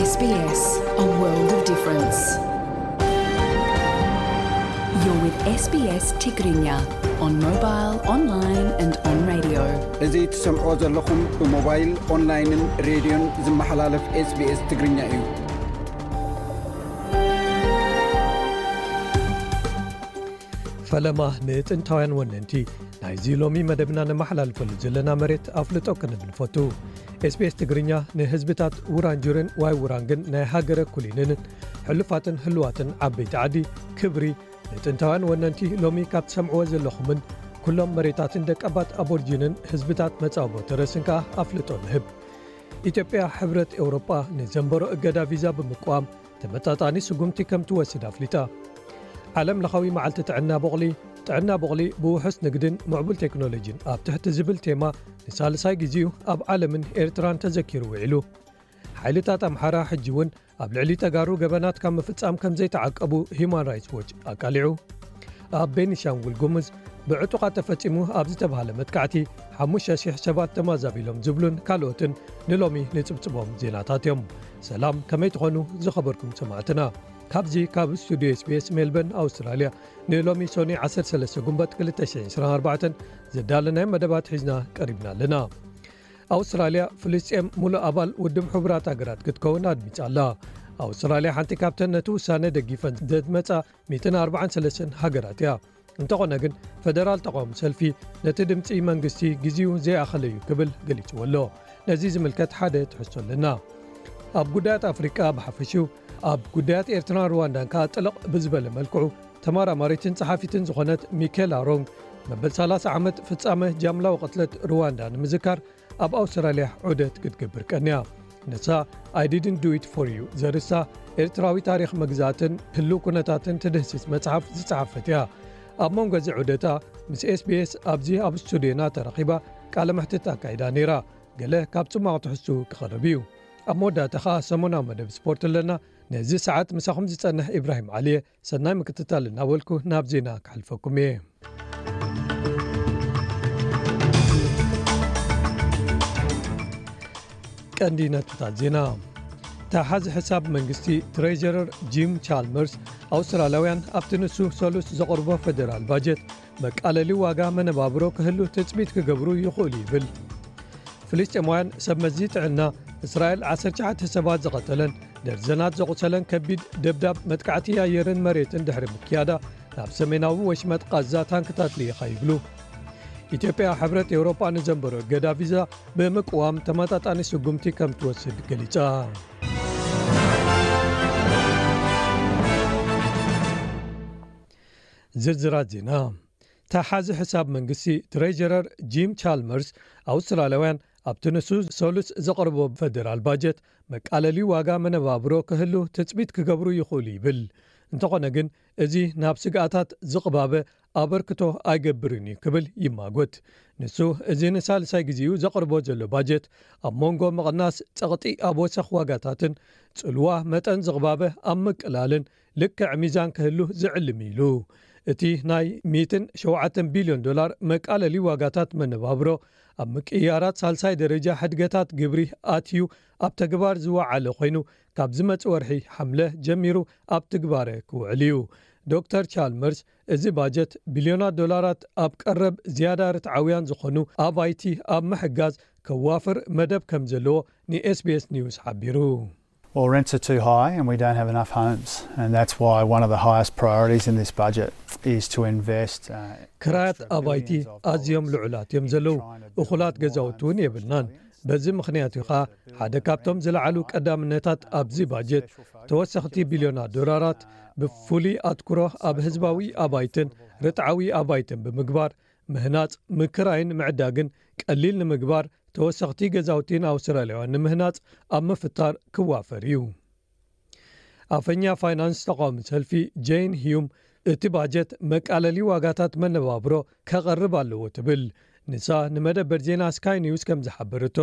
S B S, a world of difference. You're with S B S Tigrinya on mobile, online and on radio. እዚ ትሰምዖ ዘለኹም ብሞባይል፣ ኦንላይንን ሬድዮን ዝመሓላለፍ S B S ትግርኛ እዩ። ፈለማ ንጥንታውያን ወነንቲ ናይዚ ሎሚ መደብና ነመሓላልፈሉ ዘለና መሬት ኣፍልጦ ክንብል ንፈቱ። S B S ትግርኛ ንህዝብታት ውራንጁርን ዋይ ውራንግን ናይ ሃገረ ኩሊንንን ሕሉፋትን ህልዋትን ዓበይቲ ዓዲ ክብሪ ንጥንታውያን ወነንቲ ሎሚ ካብ ትሰምዕዎ ዘለኹምን ኩሎም መሬታትን ደቀባት ኣቦርጂንን ህዝብታት መጻወቦ ተረስን ከኣ ኣፍልጦ ንህብ። ኢትዮጵያ ሕብረት ኤውሮጳ ንዘንበሮ እገዳ ቪዛ ብምቅዋም ተመጣጣኒ ስጉምቲ ከም ትወስድ ኣፍሊጣ። ዓለም ለኻዊ መዓልቲ ጥዕና ቦቕሊ፣ ጥዕና ቦቕሊ ብውሑስ ንግድን ምዕቡል ቴክኖሎጂን ኣብ ትሕቲ ዝብል ቴማ ንሳልሳይ ግዜኡ ኣብ ዓለምን ኤርትራን ተዘኪሩ ውዒሉ። ሓይልታት ኣምሓራ ሕጂ እውን ኣብ ልዕሊ ተጋሩ ገበናት ካብ ምፍጻም ከም ዘይተዓቀቡ ሂዩማን ራይትስ ዎች ኣቃሊዑ። ኣብ ቤኒሻንጉል ጉሙዝ ብዕጡቓት ተፈጺሙ ኣብ ዝተባህለ መጥቃዕቲ ሓሙሽተ ሽሕ ሰባት ተማዛቢሎም ዝብሉን ካልኦትን ንሎሚ ንጽብጽቦም ዜናታት እዮም። ሰላም፣ ከመይ ትኾኑ ዝኸበርኩም ሰማዕትና? ካብዚ ካብ ስቱድዮ S B S ሜልበርን ኣውስትራልያ ንሎሚ ሶኒ ዓሰርተ ሰለስተ ጉንበት ክልተ ሽሕን ዕስራን ኣርባዕተን ዘዳለናዮ መደባት ሒዝና ቀሪብና ኣለና። ኣውስትራልያ ፍልስጤም ሙሉእ ኣባል ውድብ ሕቡራት ሃገራት ክትከውን ኣድሚጻ ኣላ። ኣውስትራልያ ሓንቲ ካብተን ነቲ ውሳነ ደጊፈን ዘድመጻ ሚእትን ኣርባዓን ሰለስተን ሃገራት እያ። እንተኾነ ግን ፈደራል ተቃውሞ ሰልፊ ነቲ ድምጺ መንግስቲ ግዜኡ ዘይኣኸለ እዩ ክብል ገሊጽዎ ኣሎ። ነዚ ዝምልከት ሓደ ትሕዝቶ ኣለና። ኣብ ጉዳያት ኣፍሪቃ ብሓፈሽኡ ኣብ ጉዳያት ኤርትራን ሩዋንዳን ከኣ ጥልቕ ብዝበለ መልክዑ ተመራማሪትን ጸሓፊትን ዝኾነት ሚኬላ ሮንግ መበል ሰላሳ ዓመት ፍጻመ ጃምላዊ ቅትለት ሩዋንዳ ንምዝካር ኣብ ኣውስትራልያ ዑደት ክትገብር ቀንያ። ንሳ I didn't do it for you ዘርእስታ ኤርትራዊ ታሪኽ መግዛእትን ህልው ኩነታትን ትድህስስ መጽሓፍ ዝጸሓፈት እያ። ኣብ መንጎ እዚ ዑደታ ምስ S B S ኣብዚ ኣብ ስቱድዮና ተረኺባ ቃለ መሕትት ኣካይዳ ነይራ። ገለ ካብ ጽማቕ ትሕዝቱ ክቐርብ እዩ። ኣብ መወዳእታ ኸኣ ሰሙናዊ መደብ ስፖርት ኣለና። ነዚ ሰዓት ምሳኹም ዝጸንሕ ኢብራሂም ዓሊ እየ። ሰናይ ምክትታል እናበልኩ ናብ ዜና ክሓልፈኩም እየ። ቀንዲ ነጥብታት ዜና። ተሓዚ ሕሳብ መንግስቲ ትሬጀረር ጂም ቻልመርስ ኣውስትራልያውያን ኣብቲ ንሱ ሰሉስ ዘቕርቦ ፈደራል ባጀት መቃለሊ ዋጋ መነባብሮ ክህሉ ትጽቢት ክገብሩ ይኽእሉ ይብል። ፍልስጤማውያን ሰብ መዚ ጥዕና እስራኤል ዓሰርተ ትሽዓተ ሰባት ዝቐተለን ደርዘናት ዘቑሰለን ከቢድ ደብዳብ መጥቃዕቲ ኣየርን መሬትን ድሕሪ ምክያዳ ናብ ሰሜናዊ ወሽመጥ ቃዛ ታንክታት ልኢኻ ይብሉ። ኢትዮጵያ ሕብረት ኤውሮጳ ንዘንበሮ እገዳ ቪዛ ብምቅዋም ተመጣጣኒ ስጉምቲ ከም ትወስድ ገሊጻ። ዝርዝራት ዜና። ተሓዚ ሕሳብ መንግስቲ ትሬጀረር ጂም ቻልመርስ ኣውስትራልያውያን ኣብቲ ንሱ ሰሉስ ዘቕርቦ ፈደራል ባጀት መቃለሊ ዋጋ መነባብሮ ክህሉ ትጽቢት ክገብሩ ይኽእሉ ይብል። እንተኾነ ግን እዚ ናብ ስግኣታት ዝቕባበ ኣበርክቶ ኣይገብርን እዩ ክብል ይማጎት። ንሱ እዚ ንሳልሳይ ግዜኡ ዘቕርቦ ዘሎ ባጀት ኣብ መንጎ ምቕናስ ጸቕጢ ኣብ ወሰኽ ዋጋታትን ጽልዋ መጠን ዝቕባበ ኣብ ምቅላልን ልክዕ ሚዛን ክህሉ ዝዕልም ኢሉ። እቲ ናይ ሚእትን ሸውዓተን ቢልዮን ዶላር መቃለሊ ዋጋታት መነባብሮ ኣብ ምቅያራት ሳልሳይ ደረጃ ሕድገታት ግብሪ ኣትዩ ኣብ ተግባር ዝወዓለ ኮይኑ ካብ ዝመጽእ ወርሒ ሓምለ ጀሚሩ ኣብ ትግባረ ክውዕል እዩ። ዶክተር ቻልመርስ እዚ ባጀት ቢልዮናት ዶላራት ኣብ ቀረብ ዝያዳ ርትዓውያን ዝኾኑ ኣባይቲ ኣብ ምሕጋዝ ከዋፍር መደብ ከም ዘለዎ ን S B S ኒውስ ሓቢሩ። Well, rents are too high and we don't have enough homes. And that's why one of the highest priorities in this budget is to invest. Uh, ክራያት extra ኣባይቲ billions of ኣዝዮም dollars ልዑላት እዮም ዘለዉ። እኹላት ገዛውቲ እውን የብልናን። በዚ ምኽንያት እዩ ኸኣ ሓደ ካብቶም ዝለዓሉ ቀዳምነታት ኣብዚ ባጀት ተወሰኽቲ ቢልዮናት ዶላራት ብፍሉይ ኣትኩሮ ኣብ ህዝባዊ ኣባይትን ርትዓዊ ኣባይትን ብምግባር ምህናጽ፣ ምክራይን ምዕዳግን ቀሊል ንምግባር ተወሰኽቲ ገዛውቲ ንኣውስትራልያውያን ንምህናጽ ኣብ ምፍጣር ክዋፈር እዩ። ኣፈኛ ፋይናንስ ተቃዋሚ ሰልፊ ጄን ሂዩም እቲ ባጀት መቃለሊ ዋጋታት መነባብሮ ከቐርብ ኣለዎ ትብል። ንሳ ንመደበር ዜና ስካይ ኒውስ ከም ዝሓበረቶ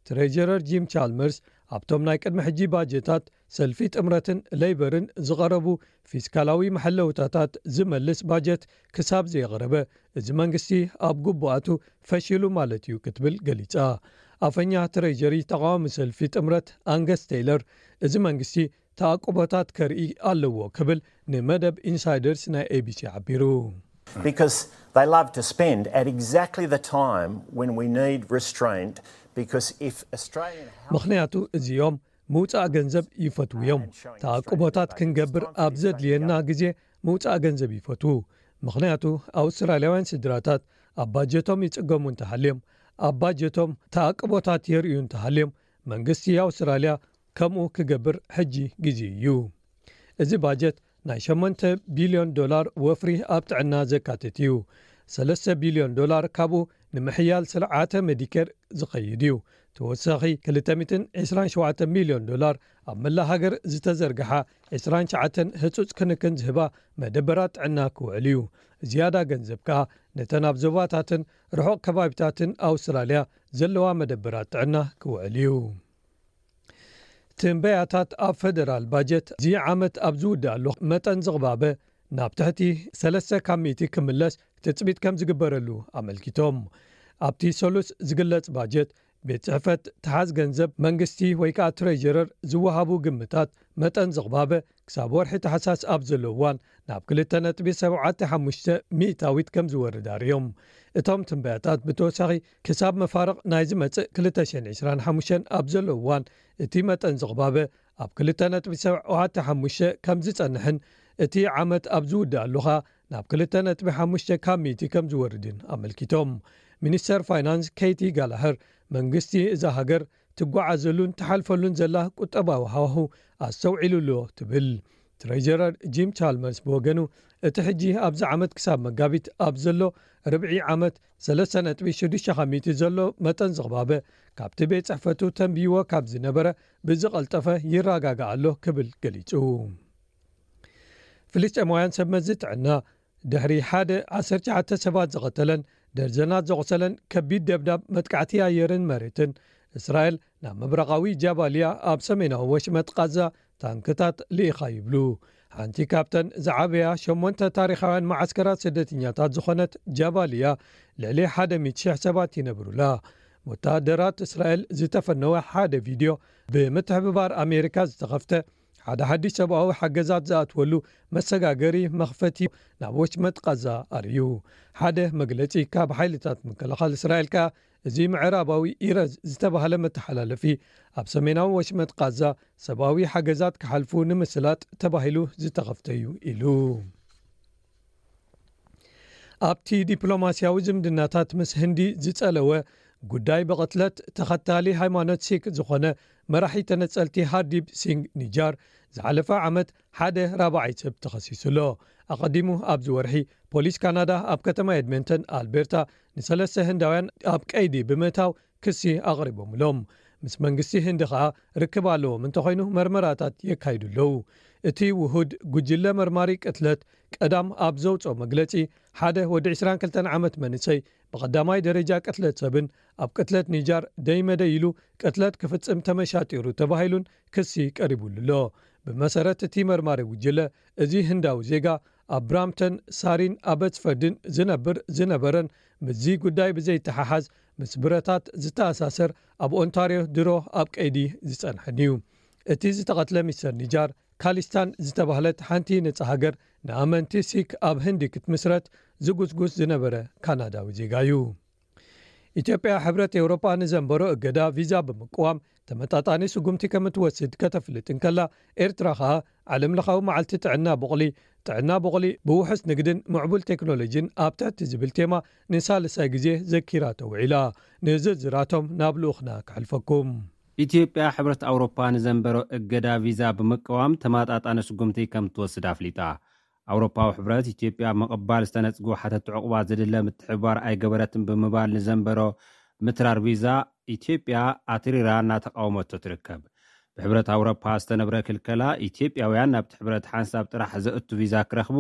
ትሬጀረር ጂም ቻልመርስ ኣብቶም ናይ ቅድሚ ሕጂ ባጀታት ሰልፊ ጥምረትን ሌይበርን ዝቐረቡ ፊስካላዊ መሐለውታታት ዝመልስ ባጀት ክሳብ ዘየቕረበ እዚ መንግስቲ ኣብ ግቡኣቱ ፈሺሉ ማለት እዩ ክትብል ገሊጻ። ኣፈኛ ትሬጀሪ ተቃዋሚ ሰልፊ ጥምረት ኣንገስ ቴይለር፣ እዚ መንግስቲ ተኣቅቦታት ከርኢ ኣለዎ ክብል ንመደብ ኢንሳይደርስ ናይ ኤቢሲ ሓቢሩ። Because they love to spend at exactly the time when we need restraint. Because if Australian health ምኽንያቱ እዚኦም ምውፃእ ገንዘብ ይፈትዉ እዮም። ተኣቅቦታት ክንገብር ኣብ ዘድልየና ግዜ ምውፃእ ገንዘብ ይፈትዉ። ምኽንያቱ ኣውስትራልያውያን ስድራታት ኣብ ባጀቶም ይፅገሙ እንተሃልዮም፣ ኣብ ባጀቶም ተኣቅቦታት የርእዩ እንተሃልዮም፣ መንግስቲ ኣውስትራልያ ከምኡ ክገብር ሕጂ ግዜ እዩ። እዚ ባጀት ናይ ሸሞንተ ቢልዮን ዶላር ወፍሪ ኣብ ጥዕና ዘካትት እዩ። ሰለስተ ቢልዮን ዶላር ካብኡ ንምሕያል ስርዓተ ሜዲኬር ዝኸይድ እዩ። ተወሳኺ ክልተ ሚእትን ዕስራን ሸውዓተ ሚልዮን ዶላር ኣብ መላእ ሃገር ዝተዘርግሓ ዕስራን ትሽዓተን ህጹጽ ክንክን ዝህባ መደበራት ጥዕና ክውዕል እዩ። ዝያዳ ገንዘብ ከኣ ነተን ኣብ ዞባታትን ርሑቕ ከባቢታትን ኣውስትራልያ ዘለዋ መደበራት ጥዕና ክውዕል እዩ። ትንበያታት ኣብ ፈደራል ባጀት እዚ ዓመት ኣብ ዝውድኣሉ መጠን ዝቕባበ ናብ ትሕቲ ሰለስተ ካብ ሚእቲ ክምለስ ትጽቢት ከም ዝግበረሉ ኣመልኪቶም። ኣብቲ ሰሉስ ዝግለጽ ባጀት ቤት ጽሕፈት ተሓዝ ገንዘብ መንግስቲ ወይ ከኣ ትሬጀረር ዝወሃቡ ግምታት መጠን ዝቕባበ ክሳብ ወርሒ ታሕሳስ ኣብ ዘሎ እዋን ናብ ክልተ ነጥቢ ሰብዓተ ሓሙሽተ ሚእታዊት ከም ዝወርድ ኣርእዮም። እቶም ትንበያታት ብተወሳኺ ክሳብ መፋርቕ ናይ ዝመጽእ ክልተ ሽሕን ዕስራን ሓሙሽተን ኣብ ዘሎ እዋን እቲ መጠን ዝቕባበ ኣብ ክልተ ነጥቢ ሰብዓተ ሓሙሽተ ከም ዝጸንሕን እቲ ዓመት ኣብ ዝውድኣሉ ኸኣ ናብ ክልተ ነጥቢ ሓሙሽተ ካብ ሚእቲ ከም ዝወርድን ኣመልኪቶም። ሚኒስተር ፋይናንስ ኬቲ ጋላሃር መንግስቲ እዛ ሃገር ትጓዓዘሉን ትሓልፈሉን ዘላ ቁጠባዊ ሃዋሁ ኣስተውዒሉ ኣሎ ትብል። ትሬጀረር ጂም ቻልመርስ ብወገኑ እቲ ሕጂ ኣብዚ ዓመት ክሳብ መጋቢት ኣብ ዘሎ ርብዒ ዓመት ሰለስተ ነጥቢ ሽዱሽተ ካብ ሚእቲ ዘሎ መጠን ዝቕባበ ካብቲ ቤት ጽሕፈቱ ተንብይዎ ካብ ዝነበረ ብዝቐልጠፈ ይረጋጋእ ኣሎ ክብል ገሊጹ። ፍልስጤማውያን ሰብ መዚ ጥዕና ድሕሪ ሓደ ዓሰርተ ትሽዓተ ሰባት ዝቐተለን ደርዘናት ዘቑሰለን ከቢድ ደብዳብ መጥቃዕቲ ኣየርን መሬትን እስራኤል ናብ ምብራቓዊ ጃባልያ ኣብ ሰሜናዊ ወሽመጥ ቃዛ ታንክታት ልኢኻ ይብሉ። ሓንቲ ካብተን ዝዓበያ ሸሞንተ ታሪኻውያን መዓስከራት ስደተኛታት ዝኾነት ጃባልያ ልዕሊ ሓደ ሚእቲ ሽሕ ሰባት ይነብሩላ። ወታደራት እስራኤል ዝተፈነወ ሓደ ቪድዮ ብምትሕብባር ኣሜሪካ ዝተኸፍተ ሓደ ሓድሽ ሰብኣዊ ሓገዛት ዝኣትወሉ መሰጋገሪ መኽፈቲ ናብ ወሽመጥ ቃዛ ኣርእዩ። ሓደ መግለጺ ካብ ሓይልታት ምክልኻል እስራኤል ከኣ እዚ ምዕራባዊ ኢረዝ ዝተባህለ መተሓላለፊ ኣብ ሰሜናዊ ወሽመጥ ቃዛ ሰብኣዊ ሓገዛት ክሓልፉ ንምስላጥ ተባሂሉ ዝተኸፍተ እዩ ኢሉ። ኣብቲ ዲፕሎማስያዊ ዝምድናታት ምስ ህንዲ ዝጸለወ ጉዳይ ብቕትለት ተኸታሊ ሃይማኖት ሲክ ዝኾነ መራሒ ተነጸልቲ ሃርዲፕ ሲንግ ኒጃር ዝሓለፈ ዓመት ሓደ ራብዓይ ሰብ ተኸሲሱ ኣሎ። ኣቐዲሙ ኣብዚ ወርሒ ፖሊስ ካናዳ ኣብ ከተማ ኤድመንተን ኣልቤርታ ንሰለስተ ህንዳውያን ኣብ ቀይዲ ብምእታው ክሲ ኣቕሪቦምሎም። ምስ መንግስቲ ህንዲ ኸኣ ርክብ ኣለዎም እንተኾይኑ መርመራታት የካይዱ ኣለዉ። እቲ ውሁድ ጉጅለ መርማሪ ቅትለት ቀዳም ኣብ ዘውፅኦ መግለፂ ሓደ ወዲ ዕስራን ክልተን ዓመት መንእሰይ ብቐዳማይ ደረጃ ቅትለት ሰብን ኣብ ቅትለት ኒጃር ደይመደይ ኢሉ ቅትለት ክፍፅም ተመሻጢሩ ተባሂሉን ክሲ ቀሪቡሉ ኣሎ። ብመሰረት እቲ መርማሪ ጉጅለ እዚ ህንዳዊ ዜጋ ኣብ ብራምተን ሳሪን ኣበትስፈርድን ዝነብር ዝነበረን ምስዚ ጉዳይ ብዘይተሓሓዝ ምስ ብረታት ዝተኣሳሰር ኣብ ኦንታርዮ ድሮ ኣብ ቀይዲ ዝጸንሐን እዩ። እቲ ዝተቐትለ ሚስተር ኒጃር ካሊስታን ዝተባህለት ሓንቲ ነጻ ሃገር ንኣመንቲ ሲክ ኣብ ህንዲ ክትምስረት ዝጉስጉስ ዝነበረ ካናዳዊ ዜጋ እዩ። ኢትዮጵያ ሕብረት ኤውሮጳ ንዘንበሮ እገዳ ቪዛ ብምቅዋም ተመጣጣኒ ስጉምቲ ከም እትወስድ ከተፍልጥ እንከላ፣ ኤርትራ ኸኣ ዓለምለኻዊ መዓልቲ ጥዕና ቡቕሊ፣ ጥዕና ቡቕሊ ብውሑስ ንግድን ምዕቡል ቴክኖሎጂን ኣብ ትሕቲ ዝብል ቴማ ንሳልሳይ ግዜ ዘኪራ ተውዒላ። ንዝርዝራቶም ናብ ልኡኽና ከሕልፈኩም። ኢትዮጵያ ሕብረት ኣውሮፓ ንዘንበሮ እገዳ ቪዛ ብምቅዋም ተማጣጣኒ ስጉምቲ ከም ትወስድ ኣፍሊጣ። ኣውሮፓዊ ሕብረት ኢትዮጵያ ምቕባል ዝተነጽጉ ሓተቲ ዕቑባ ዝድለ ምትሕብባር ኣይገበረትን ብምባል ንዘንበሮ ምትራር ቪዛ ኢትዮጵያ ኣትሪራ እናተቃወመቶ ትርከብ። ብሕብረት ኣውሮፓ ዝተነብረ ክልከላ ኢትዮጵያውያን ናብቲ ሕብረት ሓንሳብ ጥራሕ ዘእቱ ቪዛ ክረኽቡ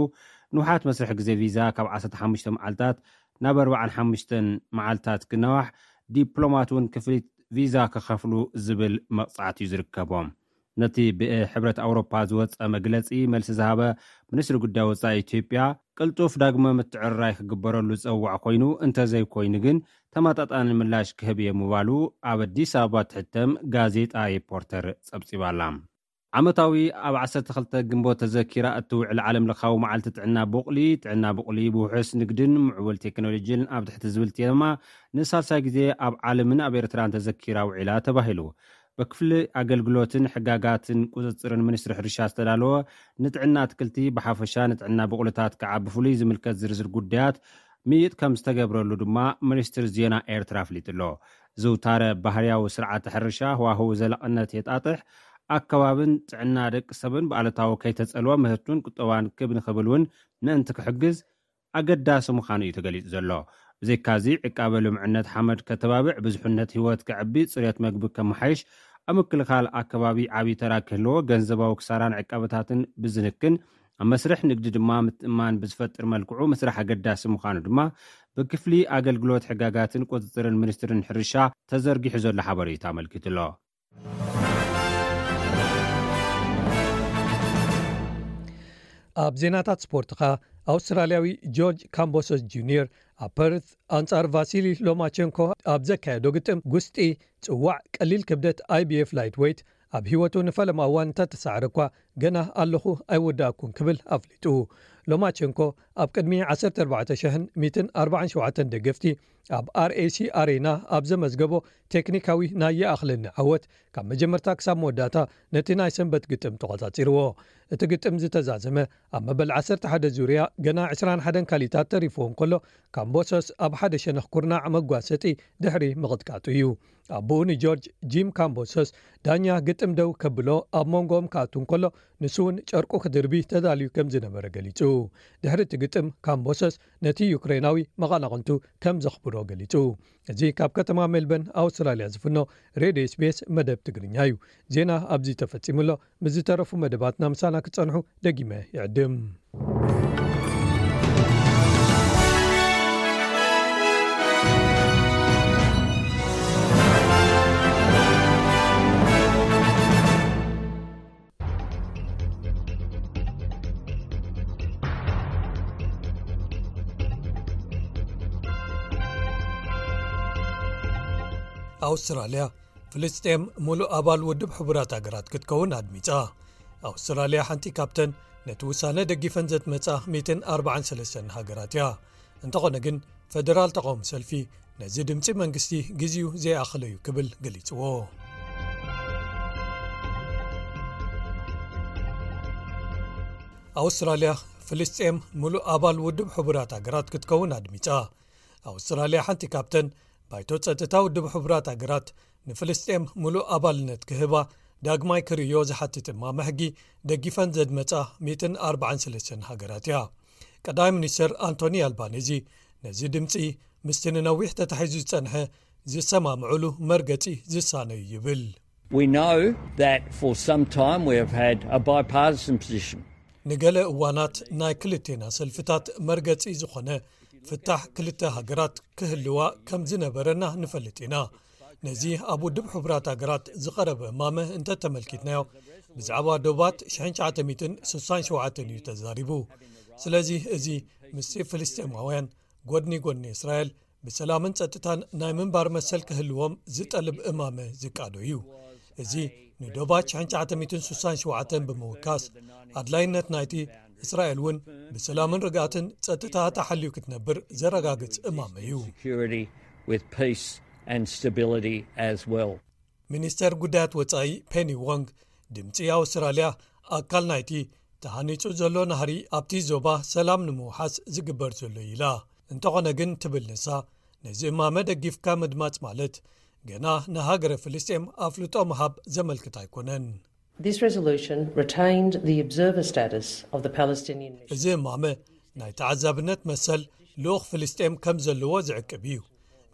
ንውሓት መስርሕ ግዜ ቪዛ ካብ ዓሰርተ ሓሙሽተ መዓልታት ናብ ኣርባዓን ሓሙሽተን መዓልታት ክነዋሕ ዲፕሎማት እውን ክፍሊት ቪዛ ክኸፍሉ ዝብል መቕጻዕቲ እዩ ዝርከቦም። ነቲ ብሕብረት ኣውሮፓ ዝወፀ መግለፂ መልሲ ዝሃበ ሚኒስትሪ ጉዳይ ወፃኢ ኢትዮጵያ ቅልጡፍ ዳግመ ምትዕርራይ ክግበረሉ ዝፀውዕ ኮይኑ እንተዘይኮይኑ ግን ተመጣጣኒ ምላሽ ክህብ እየ ምባሉ ኣብ ኣዲስ ኣበባ ትሕተም ጋዜጣ ሪፖርተር ጸብጺባላ። ዓመታዊ ኣብ ዓሰርተ ክልተ ግንቦት ተዘኪራ እትውዕል ዓለም ለኻዊ መዓልቲ ጥዕና ቡቕሊ፣ ጥዕና ቡቕሊ ብውሑስ ንግድን ምዕቡል ቴክኖሎጂን ኣብ ትሕቲ ዝብል ቴማ ንሳልሳይ ግዜ ኣብ ዓለምን ኣብ ኤርትራን ተዘኪራ ውዒላ ተባሂሉ። ብክፍሊ ኣገልግሎትን ሕጋጋትን ቁጽጽርን ሚኒስትሪ ሕርሻ ዝተዳለወ ንጥዕና ኣትክልቲ ብሓፈሻ ንጥዕና ብቑልታት ከዓ ብፍሉይ ዝምልከት ዝርዝር ጉዳያት ምይጥ ከም ዝተገብረሉ ድማ ሚኒስትሪ ዜና ኤርትራ ኣፍሊጡ ኣሎ። ዝውታረ ባህርያዊ ስርዓተ ሕርሻ ህዋህው ዘለቕነት የጣጥሕ፣ ኣከባብን ጥዕና ደቂ ሰብን ብኣሉታዊ ከይተጸልወ ምህርቱን ቁጠባን ክብ ንኽብል እውን ምእንቲ ክሕግዝ ኣገዳሲ ምዃኑ እዩ ተገሊጹ ዘሎ። ብዘይካዚ ዕቃበ ልምዕነት ሓመድ ከተባብዕ፣ ብዙሕነት ህይወት ከዕቢ፣ ጽሬት መግቢ ከመሓይሽ፣ ኣብ ምክልኻል ኣከባቢ ዓብዪ ተራ ክህልዎ፣ ገንዘባዊ ክሳራን ዕቃበታትን ብዝንክን ኣብ መስርሕ ንግዲ ድማ ምትእምማን ብዝፈጥር መልክዑ ምስራሕ ኣገዳሲ ምዃኑ ድማ ብክፍሊ ኣገልግሎት ሕጋጋትን ቁጽጽርን ሚኒስትርን ሕርሻ ተዘርጊሑ ዘሎ ሓበሬታ ኣመልኪቱ ኣሎ። ኣብ ዜናታት ስፖርት ኸኣ ኣውስትራልያዊ ጆርጅ ካምቦሶስ ጁኒየር ኣብ ፐርት ኣንጻር ቫሲሊ ሎማቸንኮ ኣብ ዘካየዶ ግጥም ጉስጢ ጽዋዕ ቀሊል ክብደት ኣይቢኤፍ ላይት ዌይት ኣብ ህይወቱ ንፈለማ እዋን እንተተሳዕረ እኳ ገና ኣለኹ ኣይወዳእኩን ክብል ኣፍሊጡ። ሎማቸንኮ ኣብ ቅድሚ ዓሰርተ ኣርባዕተ ሽሕን ሚእትን ኣርባዓን ሸውዓተን ደገፍቲ ኣብ ኣርኤሲ ኣሬና ኣብ ዘመዝገቦ ቴክኒካዊ ናይ ይኣኽለኒ ዓወት ካብ መጀመርታ ክሳብ መወዳእታ ነቲ ናይ ሰንበት ግጥም ተቖጻጺርዎ። እቲ ግጥም ዝተዛዘመ ኣብ መበል ዓሰርተ ሓደ ዙርያ ገና ዕስራን ሓደን ካሊታት ተሪፍዎ እንከሎ ካምቦሰስ ኣብ ሓደ ሸነኽ ኩርናዕ መጓሰጢ ድሕሪ ምቕጥቃጡ እዩ። ኣቦኡ ንጆርጅ ጂም ካምቦሰስ ዳኛ ግጥም ደው ከብሎ ኣብ መንጎኦም ክኣቱ እንከሎ ንሱ እውን ጨርቁ ክድርቢ ተዳልዩ ከም ዝነበረ ገሊጹ። ድሕሪ እቲ ግጥም ካምቦሰስ ነቲ ዩክሬናዊ መቐናቕንቱ ከም ዘኽብሮ ገሊጹ። እዚ ካብ ከተማ ሜልበርን ኣውስትራልያ ዝፍኖ ሬድዮ ኤስቢኤስ መደብ ትግርኛ እዩ። ዜና ኣብዚ ተፈጺሙ ኣሎ። ምስ ዝተረፉ መደባትና ምሳና ክትጸንሑ ደጊመ ይዕድም። ኣውስትራልያ ፍልስጤም ሙሉእ ኣባል ውድብ ሕቡራት ሃገራት ክትከውን ኣድሚጻ። ኣውስትራልያ ሓንቲ ካብተን ነቲ ውሳነ ደጊፈን ዘትመጻ ሚእትን ኣርባዓን ሰለስተን ሃገራት እያ። እንተኾነ ግን ፈደራል ተቓውሞ ሰልፊ ነዚ ድምጺ መንግስቲ ግዜኡ ዘይኣኸለዩ ክብል ገሊጽዎ። ኣውስትራልያ ፍልስጤም ሙሉእ ኣባል ውድብ ሕቡራት ሃገራት ክትከውን ኣድሚጻ። ኣውስትራልያ ሓንቲ ካብተን ባይቶ ጸጥታ ውድብ ሕቡራት ሃገራት ንፍልስጤም ሙሉእ ኣባልነት ክህባ ዳግማይ ክርእዮ ዝሓትት እማመ ሕጊ ደጊፈን ዘድመጻ ሚእትን ኣርባዓን ሰለስተን ሃገራት እያ። ቀዳማይ ሚኒስተር ኣንቶኒ ኣልባኔዚ ነዚ ድምጺ ምስቲ ንነዊሕ ተታሒዙ ዝጸንሐ ዝሰማምዑሉ መርገጺ ዝሳነ እዩ ይብል። We know that for some time we have had a bipartisan position. ንገለ እዋናት ናይ ክልቴና ሰልፍታት መርገጺ ዝኾነ ፍታሕ ክልተ ሃገራት ክህልዋ ከም ዝነበረና ንፈልጥ ኢና። ነዚ ኣብ ውድብ ሕቡራት ሃገራት ዝቐረበ እማመ እንተተመልኪትናዮ ብዛዕባ ዶባት ሽሕን ትሽዓተ ሚእትን ስሳን ሸውዓተን እዩ ተዛሪቡ። ስለዚ እዚ ምስቲ ፍልስጤማውያን ጎድኒ ጎድኒ እስራኤል ብሰላምን ጸጥታን ናይ ምንባር መሰል ክህልዎም ዝጠልብ እማመ ዝቃዶ እዩ። እዚ ንዶባት ሽሕን ትሽዓተ ሚእትን ስሳን ሸውዓተን ብምውካስ ኣድላይነት ናይቲ እስራኤል እውን ብሰላምን ርግኣትን ጸጥታ ተሓልዩ ክትነብር ዘረጋግጽ እማመ እዩ። ሚኒስተር ጉዳያት ወጻኢ ፔኒ ዎንግ ድምጺ ኣውስትራልያ ኣካል ናይቲ ተሃኒጹ ዘሎ ናህሪ ኣብቲ ዞባ ሰላም ንምውሓስ ዝግበር ዘሎ ኢላ። እንተኾነ ግን ትብል ንሳ ነዚ እማመ ደጊፍካ ምድማጽ ማለት ገና ንሃገረ ፍልስጤም ኣፍልጦ ምሃብ ዘመልክት ኣይኮነን። This resolution retained the observer status of the Palestinian mission. እዚ እማመ ናይ ተዓዛብነት መሰል ልኡኽ ፍልስጤም ከም ዘለዎ ዝዕቅብ እዩ።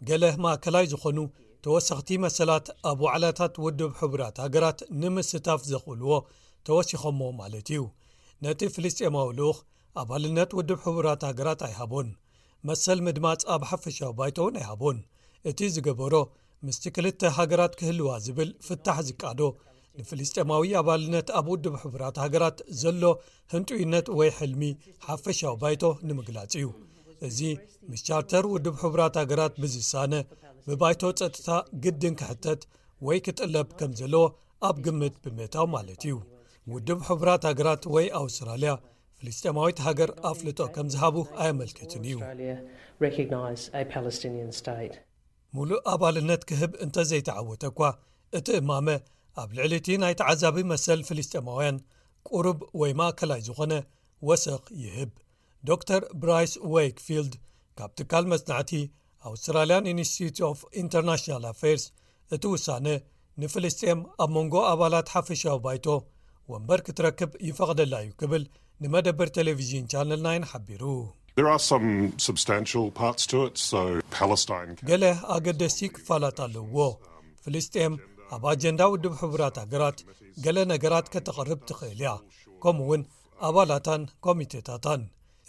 ገለ ማእከላይ ዝኾኑ ተወሰኽቲ መሰላት ኣብ ዋዕላታት ውድብ ሕቡራት ሃገራት ንምስታፍ ዘኽእልዎ ተወሲኾሞ ማለት እዩ። ነቲ ፍልስጤማዊ ልኡኽ ኣባልነት ውድብ ሕቡራት ሃገራት ኣይሃቦን። መሰል ምድማጽ ኣብ ሓፈሻዊ ባይቶ እውን ኣይሃቦን። እቲ ዝገበሮ ምስቲ ክልተ ሃገራት ክህልዋ ዝብል ፍታሕ ዝቃዶ ንፍልስጤማዊ ኣባልነት ኣብ ውድብ ሕቡራት ሃገራት ዘሎ ህንጡይነት ወይ ሕልሚ ሓፈሻዊ ባይቶ ንምግላጽ እዩ። እዚ ምስ ቻርተር ውድብ ሕቡራት ሃገራት ብዝሳነ፣ ብባይቶ ጸጥታ ግድን ክሕተት ወይ ክጥለብ ከም ዘለዎ ኣብ ግምት ብምእታው ማለት እዩ። ውድብ ሕቡራት ሃገራት ወይ ኣውስትራልያ ፍልስጤማዊት ሃገር ኣፍልጦ ከም ዝሃቡ ኣየመልክትን እዩ። Australia recognise a Palestinian state. ሙሉእ ኣባልነት ክህብ እንተዘይተዓወተ እኳ፣ እቲ እማመ ኣብ ልዕሊ እቲ ናይ ተዓዛቢ መሰል ፍልስጤማውያን ቁሩብ ወይ ማእከላይ ዝኾነ ወሰኽ ይህብ። ዶክተር ብራይስ ዌይክፊልድ ካብ ትካል መጽናዕቲ ኣውስትራልያን ኢንስቲትዩት ኦፍ ኢንተርናሽናል ኣፌርስ፣ እቲ ውሳነ ንፍልስጤም ኣብ መንጎ ኣባላት ሓፈሻዊ ባይቶ ወንበር ክትረክብ ይፈቕደላ እዩ ክብል ንመደበር ቴሌቪዥን ቻነል ናይን ሓቢሩ። There are some substantial parts to it, so Palestine can ገለ ኣገደስቲ ክፋላት ኣለውዎ። ፍልስጤም ኣብ ኣጀንዳ ውድብ ሕቡራት ሃገራት ገለ ነገራት ከተቕርብ ትኽእል እያ፣ ከምኡ እውን ኣባላታን ኮሚቴታታን።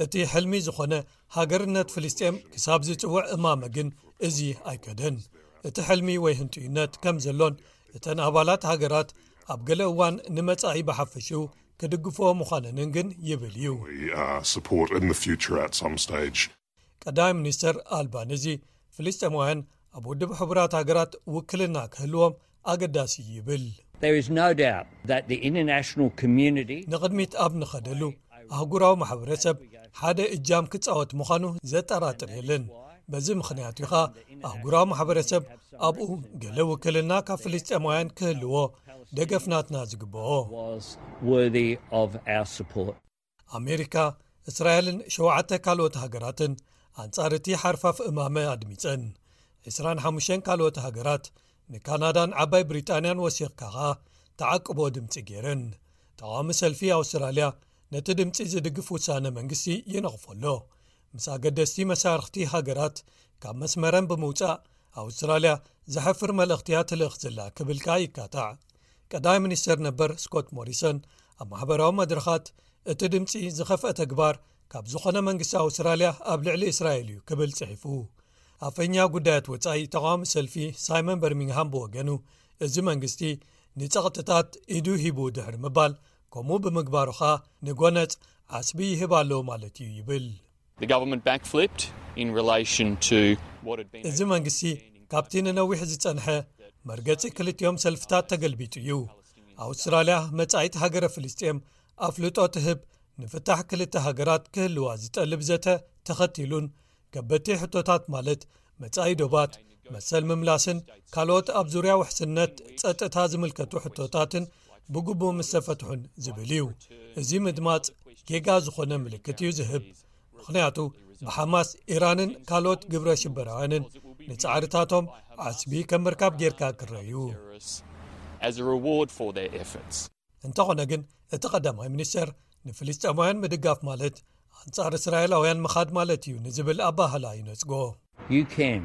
እቲ ሕልሚ ዝኾነ ሃገርነት ፍልስጤም ክሳብ ዝጽውዕ እማመ ግን እዚ ኣይከደን። እቲ ሕልሚ ወይ ህንጡይነት ከም ዘሎን እተን ኣባላት ሃገራት ኣብ ገለ እዋን ንመጻኢ ብሓፈሽኡ ክድግፍኦ ምዃነንን ግን ይብል እዩ። We uh, support in the future at some stage. ቀዳማይ ሚኒስተር ኣልባኒዚ ፍልስጤማውያን ኣብ ውድብ ሕቡራት ሃገራት ውክልና ክህልዎም ኣገዳሲ እዩ ይብል። There is no doubt that the international community ንቕድሚት ኣብ ንኸደሉ ኣህጉራዊ ማሕበረሰብ ሓደ እጃም ክጻወት ምዃኑ ዘጠራጥር የለን። በዚ ምኽንያት እዩ ኸኣ ኣህጉራዊ ማሕበረሰብ ኣብኡ ገለ ውክልና ካብ ፍልስጤማውያን ክህልዎ ደገፍ ናትና ዝግብኦ። Was worthy of our support. ኣሜሪካ፣ እስራኤልን ሸውዓተ ካልኦት ሃገራትን ኣንጻር እቲ ሓርፋፍ እማመ ኣድሚጸን። ዕስራን ሓሙሽተን ካልኦት ሃገራት ንካናዳን ዓባይ ብሪጣንያን ወሲኽካ ኸኣ ተዓቅቦ ድምጺ ገይረን። ተቓዋሚ ሰልፊ ኣውስትራልያ ነቲ ድምጺ ዝድግፍ ውሳነ መንግስቲ ይነቕፎ ኣሎ። ምስ ኣገደስቲ መሳርኽቲ ሃገራት ካብ መስመረን ብምውጻእ ኣውስትራልያ ዘሕፍር መልእኽቲ እያ ትልእኽ ዘላ ክብል ከኣ ይካታዕ። ቀዳማይ ሚኒስተር ነበር ስኮት ሞሪሰን ኣብ ማሕበራዊ መድረኻት እቲ ድምጺ ዝኸፍአ ተግባር ካብ ዝኾነ መንግስቲ ኣውስትራልያ ኣብ ልዕሊ እስራኤል እዩ ክብል ጽሒፉ። ኣፈኛ ጉዳያት ወጻኢ ተቓዋሚ ሰልፊ ሳይመን በርሚንግሃም ብወገኑ፣ እዚ መንግስቲ ንጸቕጥታት ኢዱ ሂቡ ድሕሪ ምባል፣ ከምኡ ብምግባሩ ኸኣ ንጎነጽ ዓስቢ ይህብ ኣሎ ማለት እዩ ይብል። The government backflipped in relation to what had been እዚ መንግስቲ ካብቲ ንነዊሕ ዝጸንሐ መርገጺ ክልቲኦም ሰልፍታት ተገልቢጡ እዩ። ኣውስትራልያ መጻኢት ሃገረ ፍልስጤም ኣፍልጦ ትህብ ንፍታሕ ክልተ ሃገራት ክህልዋ ዝጠልብ ዘተ ተኸቲሉን ከበድቲ ሕቶታት ማለት መጻኢ ዶባት፣ መሰል ምምላስን ካልኦት ኣብ ዙርያ ውሕስነት ጸጥታ ዝምልከቱ ሕቶታትን ብግቡእ ምስ ተፈትሑን ዝብል እዩ። እዚ ምድማጽ ጌጋ ዝኾነ ምልክት እዩ ዝህብ። ምኽንያቱ ብሓማስ፣ ኢራንን ካልኦት ግብረ ሽበራውያንን ንጻዕርታቶም ዓስቢ ከም ምርካብ ጌርካ ክረዩ። As a reward for their efforts. እንተኾነ ግን እቲ ቀዳማይ ሚኒስተር ንፍልስጤማውያን ምድጋፍ ማለት ኣንጻር እስራኤላውያን ምኻድ ማለት እዩ ንዝብል ኣባህላ ይነጽጎ። You can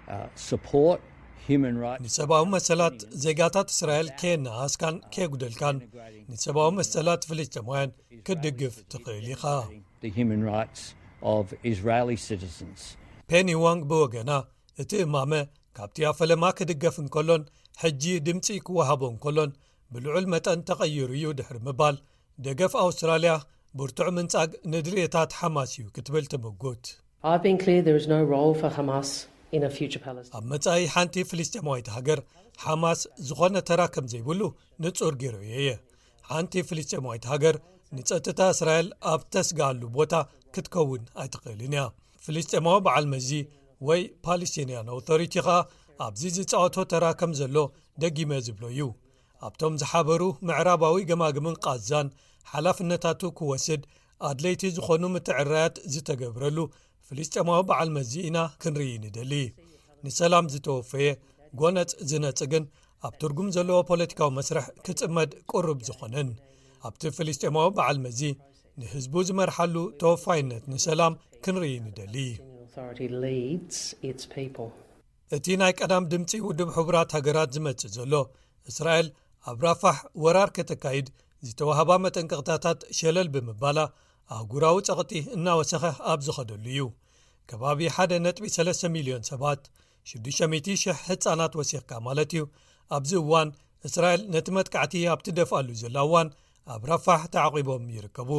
uh, support human rights. ንሰብኣዊ መሰላት ዜጋታት እስራኤል ከየነኣስካን ከየጉደልካን ንሰብኣዊ መሰላት ፍልስጤማውያን ክትድግፍ ትኽእል ኢኻ። The human rights of Israeli citizens. ፔኒ ዋንግ ብወገና እቲ እማመ ካብቲ ኣብ ፈለማ ክድገፍ እንከሎን ሕጂ ድምፂ ክወሃቦ እንከሎን ብልዑል መጠን ተቐይሩ እዩ ድሕሪ ምባል፣ ደገፍ ኣውስትራልያ ብርቱዕ ምንጻግ ንድልየታት ሓማስ እዩ ክትብል ትምጉት። I've been clear there is no role for Hamas in a future Palestine. ኣብ መጻኢ ሓንቲ ፍልስጤማዊት ሃገር ሓማስ ዝኾነ ተራ ከም ዘይብሉ ንጹር ገይረዮ እየ። ሓንቲ ፍልስጤማዊት ሃገር ንጸጥታ እስራኤል ኣብ ተስግኣሉ ቦታ ክትከውን ኣይትኽእልን እያ። ፍልስጤማዊ በዓል መዚ ወይ ፓለስቲንያን ኣውቶሪቲ ኸኣ ኣብዚ ዝጻወቶ ተራ ከም ዘሎ ደጊመ ዝብሎ እዩ። ኣብቶም ዝሓበሩ ምዕራባዊ ገማግምን ቃዛን ሓላፍነታቱ ክወስድ ኣድለይቲ ዝኾኑ ምትዕራያት ዝተገብረሉ ፍልስጤማዊ በዓል መዚ ኢና ክንርኢ ንደሊ። ንሰላም ዝተወፈየ ጎነጽ ዝነጽግን ኣብ ትርጉም ዘለዎ ፖለቲካዊ መስርሕ ክጽመድ ቅሩብ ዝኾነን ኣብቲ ፍልስጤማዊ በዓል መዚ ንህዝቡ ዝመርሓሉ ተወፋይነት ንሰላም ክንርኢ ንደሊ። Authority leads its people. እቲ ናይ ቀዳም ድምፂ ውድብ ሕቡራት ሃገራት ዝመጽእ ዘሎ እስራኤል ኣብ ራፋሕ ወራር ከተካይድ ዝተዋህባ መጠንቀቕታታት ሸለል ብምባላ ኣህጉራዊ ጸቕጢ እናወሰኸ ኣብ ዝኸደሉ እዩ። ከባቢ ሓደ ነጥቢ ሰለስተ ሚልዮን ሰባት፣ ሽዱሽተ ሚእቲ ሽሕ ህጻናት ወሲኽካ ማለት እዩ፣ ኣብዚ እዋን እስራኤል ነቲ መጥቃዕቲ ኣብ ትደፍኣሉ ዘላ እዋን ኣብ ራፋሕ ተዓቒቦም ይርከቡ።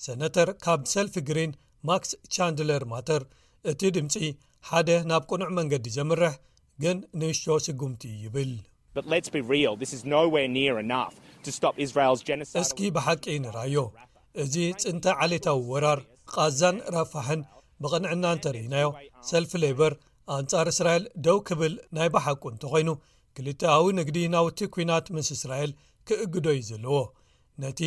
ሰነተር ካብ ሰልፊ ግሪን ማክስ ቻንድለር ማተር፣ እቲ ድምፂ ሓደ ናብ ቅኑዕ መንገዲ ዘምርሕ ግን ንእሽቶ ስጉምቲ እዩ ይብል። But let's be real, this is nowhere near enough to stop Israel's genocide. እስኪ ብሓቂ ንራዮ። እዚ ፅንተ ዓሌታዊ ወራር ቃዛን ራፋሕን ብቕንዕና እንተርኢናዮ፣ ሰልፊ ሌበር ኣንጻር እስራኤል ደው ክብል ናይ ብሓቁ እንተኾይኑ፣ ክልተኣዊ ንግዲ ናውቲ ኲናት ምስ እስራኤል ክእግዶ እዩ ዘለዎ። ነቲ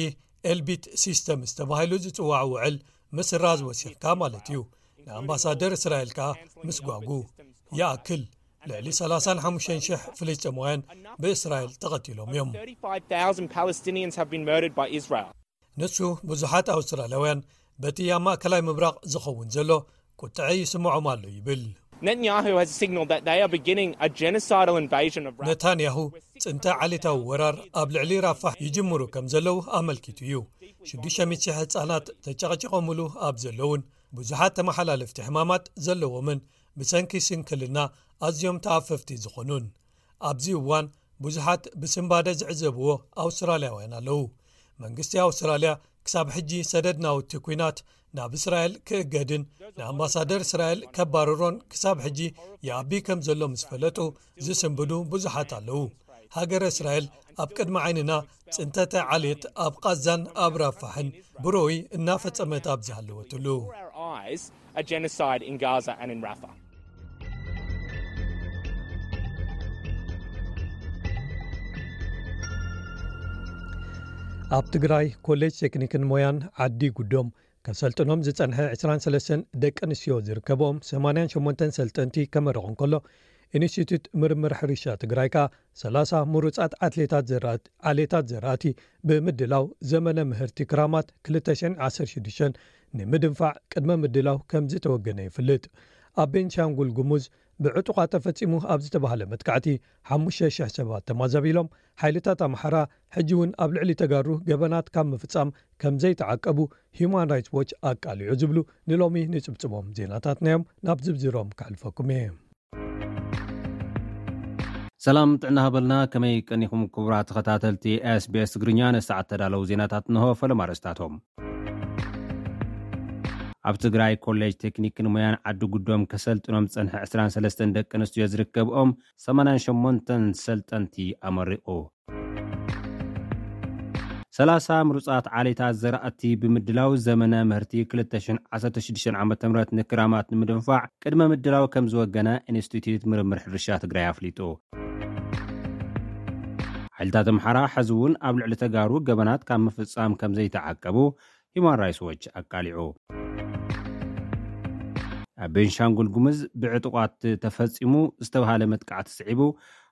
ኤልቢት ሲስተምስ ተባሂሉ ዝጽዋዕ ውዕል ምስራዝ ወሲኽካ ማለት እዩ። ንኣምባሳደር እስራኤል ከኣ ምስጓጉ። ይኣክል፣ ልዕሊ ሰላሳን ሓሙሽተን ሽሕ ፍልስጤማውያን ብእስራኤል ተቐቲሎም እዮም። Thirty-five thousand Palestinians have been murdered by Israel. ንሱ ብዙሓት ኣውስትራልያውያን በቲ ኣብ ማእከላይ ምብራቕ ዝኸውን ዘሎ ቁጥዐ ይስምዖም ኣሎ ይብል። Netanyahu has signaled that they are beginning a genocidal invasion of Rafah. ነታንያሁ ጽንተ ዓሌታዊ ወራር ኣብ ልዕሊ ራፋሕ ይጅምሩ ከም ዘለዉ ኣመልኪቱ እዩ። ሽዱሽተ ሚእቲ ሽሕ ህጻናት ተጨቕጭቖምሉ ኣብ ዘለውን ብዙሓት ተመሓላለፍቲ ሕማማት ዘለዎምን ብሰንኪ ስንክልና ኣዝዮም ተኣፈፍቲ ዝኾኑን ኣብዚ እዋን ብዙሓት ብስንባደ ዝዕዘብዎ ኣውስትራልያውያን ኣለዉ። መንግስቲ ኣውስትራልያ ክሳብ ሕጂ ሰደድ ናውቲ ኲናት ናብ እስራኤል ክእገድን ንኣምባሳደር እስራኤል ከባርሮን ክሳብ ሕጂ ይኣቢ ከም ዘሎ ምስ ፈለጡ ዝስንብዱ ብዙሓት ኣለዉ። ሃገረ እስራኤል ኣብ ቅድሚ ዓይንና ጽንተተ ዓሌት ኣብ ቃዛን ኣብ ራፋሕን ብሮይ እናፈጸመት ኣብ ዝሃለወትሉ። Before our eyes, a genocide in Gaza and in Rafah. ኣብ ትግራይ ኮሌጅ ቴክኒክን ሞያን ዓዲ ጉዶም ከሰልጥኖም ዝጸንሐ ዕስራን ሰለስተን ደቂ ኣንስትዮ ዝርከብኦም ሰማንያን ሸሞንተን ሰልጠንቲ ከመርቕ እንከሎ፣ ኢንስቲትዩት ምርምር ሕርሻ ትግራይ ከኣ ሰላሳ ምሩጻት ኣትሌታት ዘራእቲ ዓሌታት ዘራእቲ ብምድላው ዘመነ ምህርቲ ክራማት ክልተ ሽሕን ዓሰርተ ሽዱሽተን ንምድንፋዕ ቅድመ ምድላው ከም ዝተወገነ ይፍልጥ። ኣብ ቤንሻንጉል ጉሙዝ ብዕጡቓት ተፈጺሙ ኣብ ዝተባህለ መጥቃዕቲ ሓሙሽተ ሽሕ ሰባት ተማዛቢሎም፣ ሓይልታት ኣምሓራ ሕጂ እውን ኣብ ልዕሊ ተጋሩ ገበናት ካብ ምፍጻም ከም ዘይተዓቀቡ ሂዩማን ራይትስ ዎች ኣቃሊዑ ዝብሉ ንሎሚ ንጽብጽቦም ዜናታትና እዮም። ናብ ዝብዝሮም ከሕልፈኩም እየ። ሰላም ጥዕና ሃበልና። ከመይ ቀኒኹም ክቡራት ተኸታተልቲ ኤስቢኤስ ትግርኛ? ንሰዓት ተዳለዉ ዜናታት እንሆ። ፈለማ ኣርእስታቶም። ኣብ ትግራይ ኮሌጅ ቴክኒክን ሞያን ዓዲ ጉዶም ከሰልጥኖም ዝጸንሐ ዕስራን ሰለስተን ደቂ ኣንስትዮ ዝርከብኦም ሰማንያን ሸሞንተን ሰልጠንቲ ኣመሪቑ። ሰላሳ ምሩጻት ዓሌታት ዘራእቲ ብምድላው ዘመነ ምህርቲ ክልተ ሽሕን ዓሰርተ ሽዱሽተን ዓመተ ምህረት ንክራማት ንምድንፋዕ ቅድመ ምድላው ከም ዝወገነ ኢንስቲትዩት ምርምር ሕርሻ ትግራይ ኣፍሊጡ። ሓይልታት ኣምሓራ ሕዚ እውን ኣብ ልዕሊ ተጋሩ ገበናት ካብ ምፍጻም ከም ዘይተዓቀቡ ሂዩማን ራይትስ ዎች ኣቃሊዑ። ኣብ ቤንሻንጉል ጉምዝ ብዕጡቓት ተፈጺሙ ዝተባሃለ መጥቃዕቲ ስዒቡ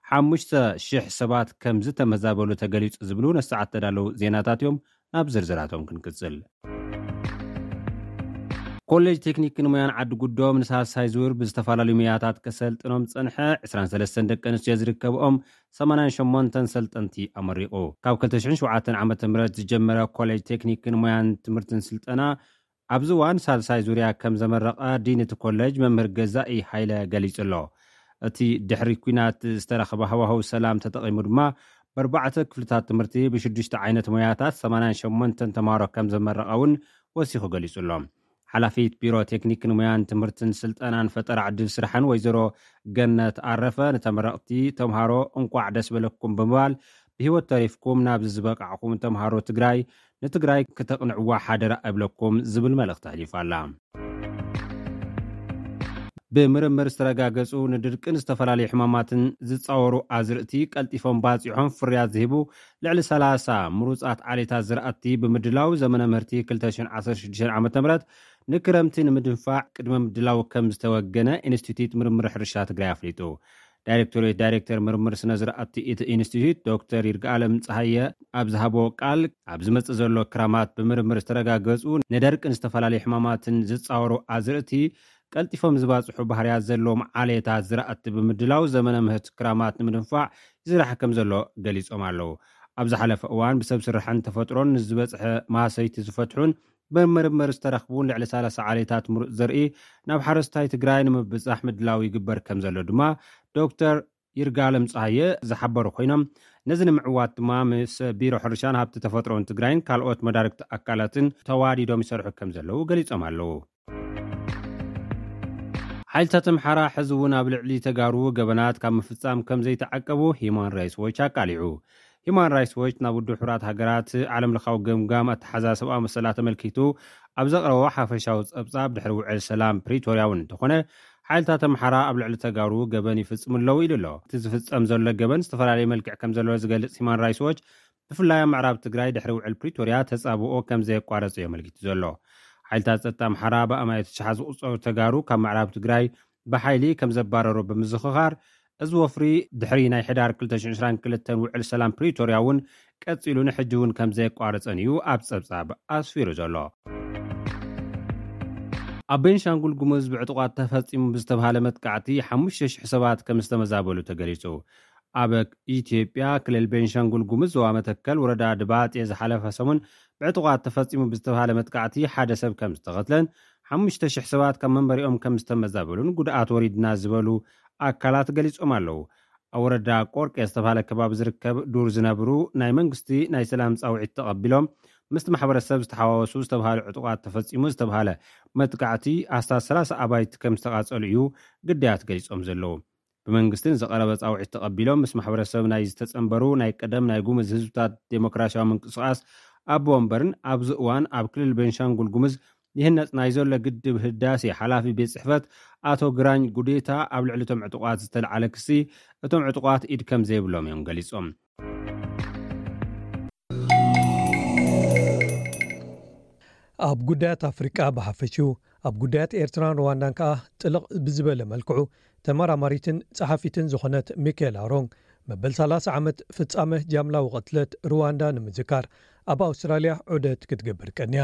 ሓሙሽተ ሽሕ ሰባት ከም ዝተመዛበሉ ተገሊጹ ዝብሉ ነሰዓት ተዳለዉ ዜናታት እዮም። ናብ ዝርዝራቶም ክንቅጽል። ኮሌጅ ቴክኒክን ሞያን ዓዲ ጉዶም ንሳልሳይ ዙር ብዝተፈላለዩ ሞያታት ከሰልጥኖም ዝጸንሐ ዕስራን ሰለስተን ደቂ ኣንስትዮ ዝርከብኦም ሰማንያን ሸሞንተን ሰልጠንቲ ኣመሪቑ። ካብ ክልተ ሽሕን ሸውዓተን ዓመተ ምህረት ዝጀመረ ኮሌጅ ቴክኒክን ሞያን ትምህርትን ስልጠና ኣብዚ እዋን ሳልሳይ ዙርያ ከም ዘመረቐ ዲን እቲ ኮሌጅ መምህር ገዛኢ ሃይለ ገሊጹ ኣሎ። እቲ ድሕሪ ኲናት ዝተረኸበ ሃዋህው ሰላም ተጠቒሙ ድማ ብኣርባዕተ ክፍልታት ትምህርቲ ብሽዱሽተ ዓይነት ሞያታት ሰማንያን ሸሞንተን ተምሃሮ ከም ዘመረቐ እውን ወሲኹ ገሊጹ ኣሎ። ሓላፊት ቢሮ ቴክኒክን ሞያን ትምህርትን ስልጠናን ፈጠራ ዕድል ስራሕን ወይዘሮ ገነት ኣረፈ ንተመረቕቲ ተምሃሮ እንቋዕ ደስ በለኩም ብምባል ብህይወት ተሪፍኩም ናብዚ ዝበቃዕኹም ተምሃሮ ትግራይ ንትግራይ ክተቕንዕዋ ሓደራ እብለኩም ዝብል መልእኽቲ ኣሕሊፋ ኣላ። ብምርምር ዝተረጋገጹ ንድርቅን ዝተፈላለዩ ሕማማትን ዝጻወሩ ኣዝርእቲ ቀልጢፎም ባጺሖም ፍርያት ዝህቡ ልዕሊ ሰላሳ ምሩጻት ዓሌታት ዝራእቲ ብምድላው ዘመነ ምህርቲ ክልተ ሽሕን ዓሰርተ ሽዱሽተን ዓመተ ምህረት ንክረምቲ ንምድንፋዕ ቅድመ ምድላው ከም ዝተወገነ ኢንስቲትዩት ምርምር ሕርሻ ትግራይ ኣፍሊጡ። ዳይሬክቶሬት ዳይሬክተር ምርምር ስነ ዝራእቲ እቲ ኢንስቲትዩት ዶክተር ይርጋለም ፀሃየ ኣብ ዝሃቦ ቃል ኣብ ዝመፅእ ዘሎ ክራማት ብምርምር ዝተረጋገፁ ንደርቅን ዝተፈላለዩ ሕማማትን ዝፃወሩ ኣዝርእቲ ቀልጢፎም ዝባፅሑ ባህርያት ዘለዎም ዓሌታት ዝራእቲ ብምድላው ዘመነ ምህርቲ ክራማት ንምድንፋዕ ይስራሕ ከም ዘሎ ገሊፆም ኣለዉ። ኣብ ዝሓለፈ እዋን ብሰብ ስራሕን ተፈጥሮን ንዝበፅሐ ማህሰይቲ ዝፈትሑን ብምርምር ዝተረኽቡን ልዕሊ ሰላሳ ዓሌታት ምሩፅ ዘርኢ ናብ ሓረስታይ ትግራይ ንምብፃሕ ምድላው ይግበር ከም ዘሎ ድማ ዶክተር ይርጋለም ፀሃየ ዝሓበሩ ኮይኖም ነዚ ንምዕዋት ድማ ምስ ቢሮ ሕርሻን ሃብቲ ተፈጥሮን ትግራይን ካልኦት መዳርግቲ ኣካላትን ተዋዲዶም ይሰርሑ ከም ዘለዉ ገሊፆም ኣለዉ። ሓይልታት ኣምሓራ ሕዚ እውን ኣብ ልዕሊ ተጋሩ ገበናት ካብ ምፍጻም ከም ዘይተዓቀቡ ሂማን ራይትስ ዎች ኣቃሊዑ። ሂማን ራይትስ ዎች ናብ ውድብ ሕቡራት ሃገራት ዓለም ለኻዊ ገምጋም ኣተሓዛ ሰብኣዊ መሰላት ተመልኪቱ ኣብ ዘቕረቦ ሓፈሻዊ ጸብጻብ፣ ድሕሪ ውዕል ሰላም ፕሪቶርያ እውን እንተኾነ ሓይልታት ኣምሓራ ኣብ ልዕሊ ተጋሩ ገበን ይፍጽሙ ኣለዉ ኢሉ ኣሎ። እቲ ዝፍጸም ዘሎ ገበን ዝተፈላለየ መልክዕ ከም ዘለዎ ዝገልጽ ሂማን ራይትስ ዎች፣ ብፍላይ ኣብ ምዕራብ ትግራይ ድሕሪ ውዕል ፕሪቶርያ ተጻብኦ ከም ዘየቋረጸ እዩ ኣመልኪቱ ዘሎ። ሓይልታት ጸጥታ ኣምሓራ ብኣማኢት ሽሓት ዝቑጸሩ ተጋሩ ካብ ምዕራብ ትግራይ ብሓይሊ ከም ዘባረሩ ብምዝኽኻር፣ እዚ ወፍሪ ድሕሪ ናይ ሕዳር ክልተ ሽሕን ዕስራን ክልተን ውዕል ሰላም ፕሪቶርያ እውን ቀጺሉ ንሕጂ እውን ከም ዘየቋረጸን እዩ ኣብ ጸብጻብ ኣስፊሩ ዘሎ። ኣብ ቤንሻንጉል ጉሙዝ ብዕጡቓት ተፈጺሙ ብዝተባሃለ መጥቃዕቲ ሓሙሽተ ሽሕ ሰባት ከም ዝተመዛበሉ ተገሊጹ። ኣብ ኢትዮጵያ ክልል ቤንሻንጉል ጉሙዝ ዞባ መተከል ወረዳ ድባጤ ዝሓለፈ ሰሙን ብዕጡቓት ተፈጺሙ ብዝተባሃለ መጥቃዕቲ ሓደ ሰብ ከም ዝተቐትለን ሓሙሽተ ሽሕ ሰባት ካብ መንበሪኦም ከም ዝተመዛበሉን ጉድኣት ወሪድና ዝበሉ ኣካላት ገሊጾም ኣለዉ። ኣብ ወረዳ ቆርቄ ዝተባሃለ ከባቢ ዝርከብ ዱር ዝነብሩ ናይ መንግስቲ ናይ ሰላም ጻውዒት ተቐቢሎም ምስቲ ማሕበረሰብ ዝተሓዋወሱ ዝተባሃሉ ዕጡቓት ተፈጺሙ ዝተባሃለ መጥቃዕቲ ኣስታት ሰላሳ ኣባይቲ ከም ዝተቓጸሉ እዩ ግዳያት ገሊጾም ዘለዉ። ብመንግስቲ ንዝቐረበ ጻውዒት ተቐቢሎም ምስ ማሕበረሰብ ናይ ዝተጸንበሩ ናይ ቀደም ናይ ጉሙዝ ህዝብታት ዴሞክራሲያዊ ምንቅስቓስ ኣቦ ወንበርን ኣብዚ እዋን ኣብ ክልል ቤንሻንጉል ጉሙዝ ይህነጽ ናይ ዘሎ ግድብ ህዳሴ ሓላፊ ቤት ጽሕፈት ኣቶ ግራኝ ጉዴታ ኣብ ልዕሊ እቶም ዕጡቓት ዝተልዓለ ክሲ እቶም ዕጡቓት ኢድ ከም ዘይብሎም እዮም ገሊጾም። ኣብ ጉዳያት ኣፍሪቃ ብሓፈሽኡ፣ ኣብ ጉዳያት ኤርትራን ሩዋንዳን ከኣ ጥልቕ ብዝበለ መልክዑ ተመራማሪትን ጸሓፊትን ዝኾነት ሚካኤላ ሮንግ፣ መበል ሰላሳ ዓመት ፍጻመ ጃምላዊ ቅትለት ሩዋንዳ ንምዝካር ኣብ ኣውስትራልያ ዑደት ክትገብር ቀንያ።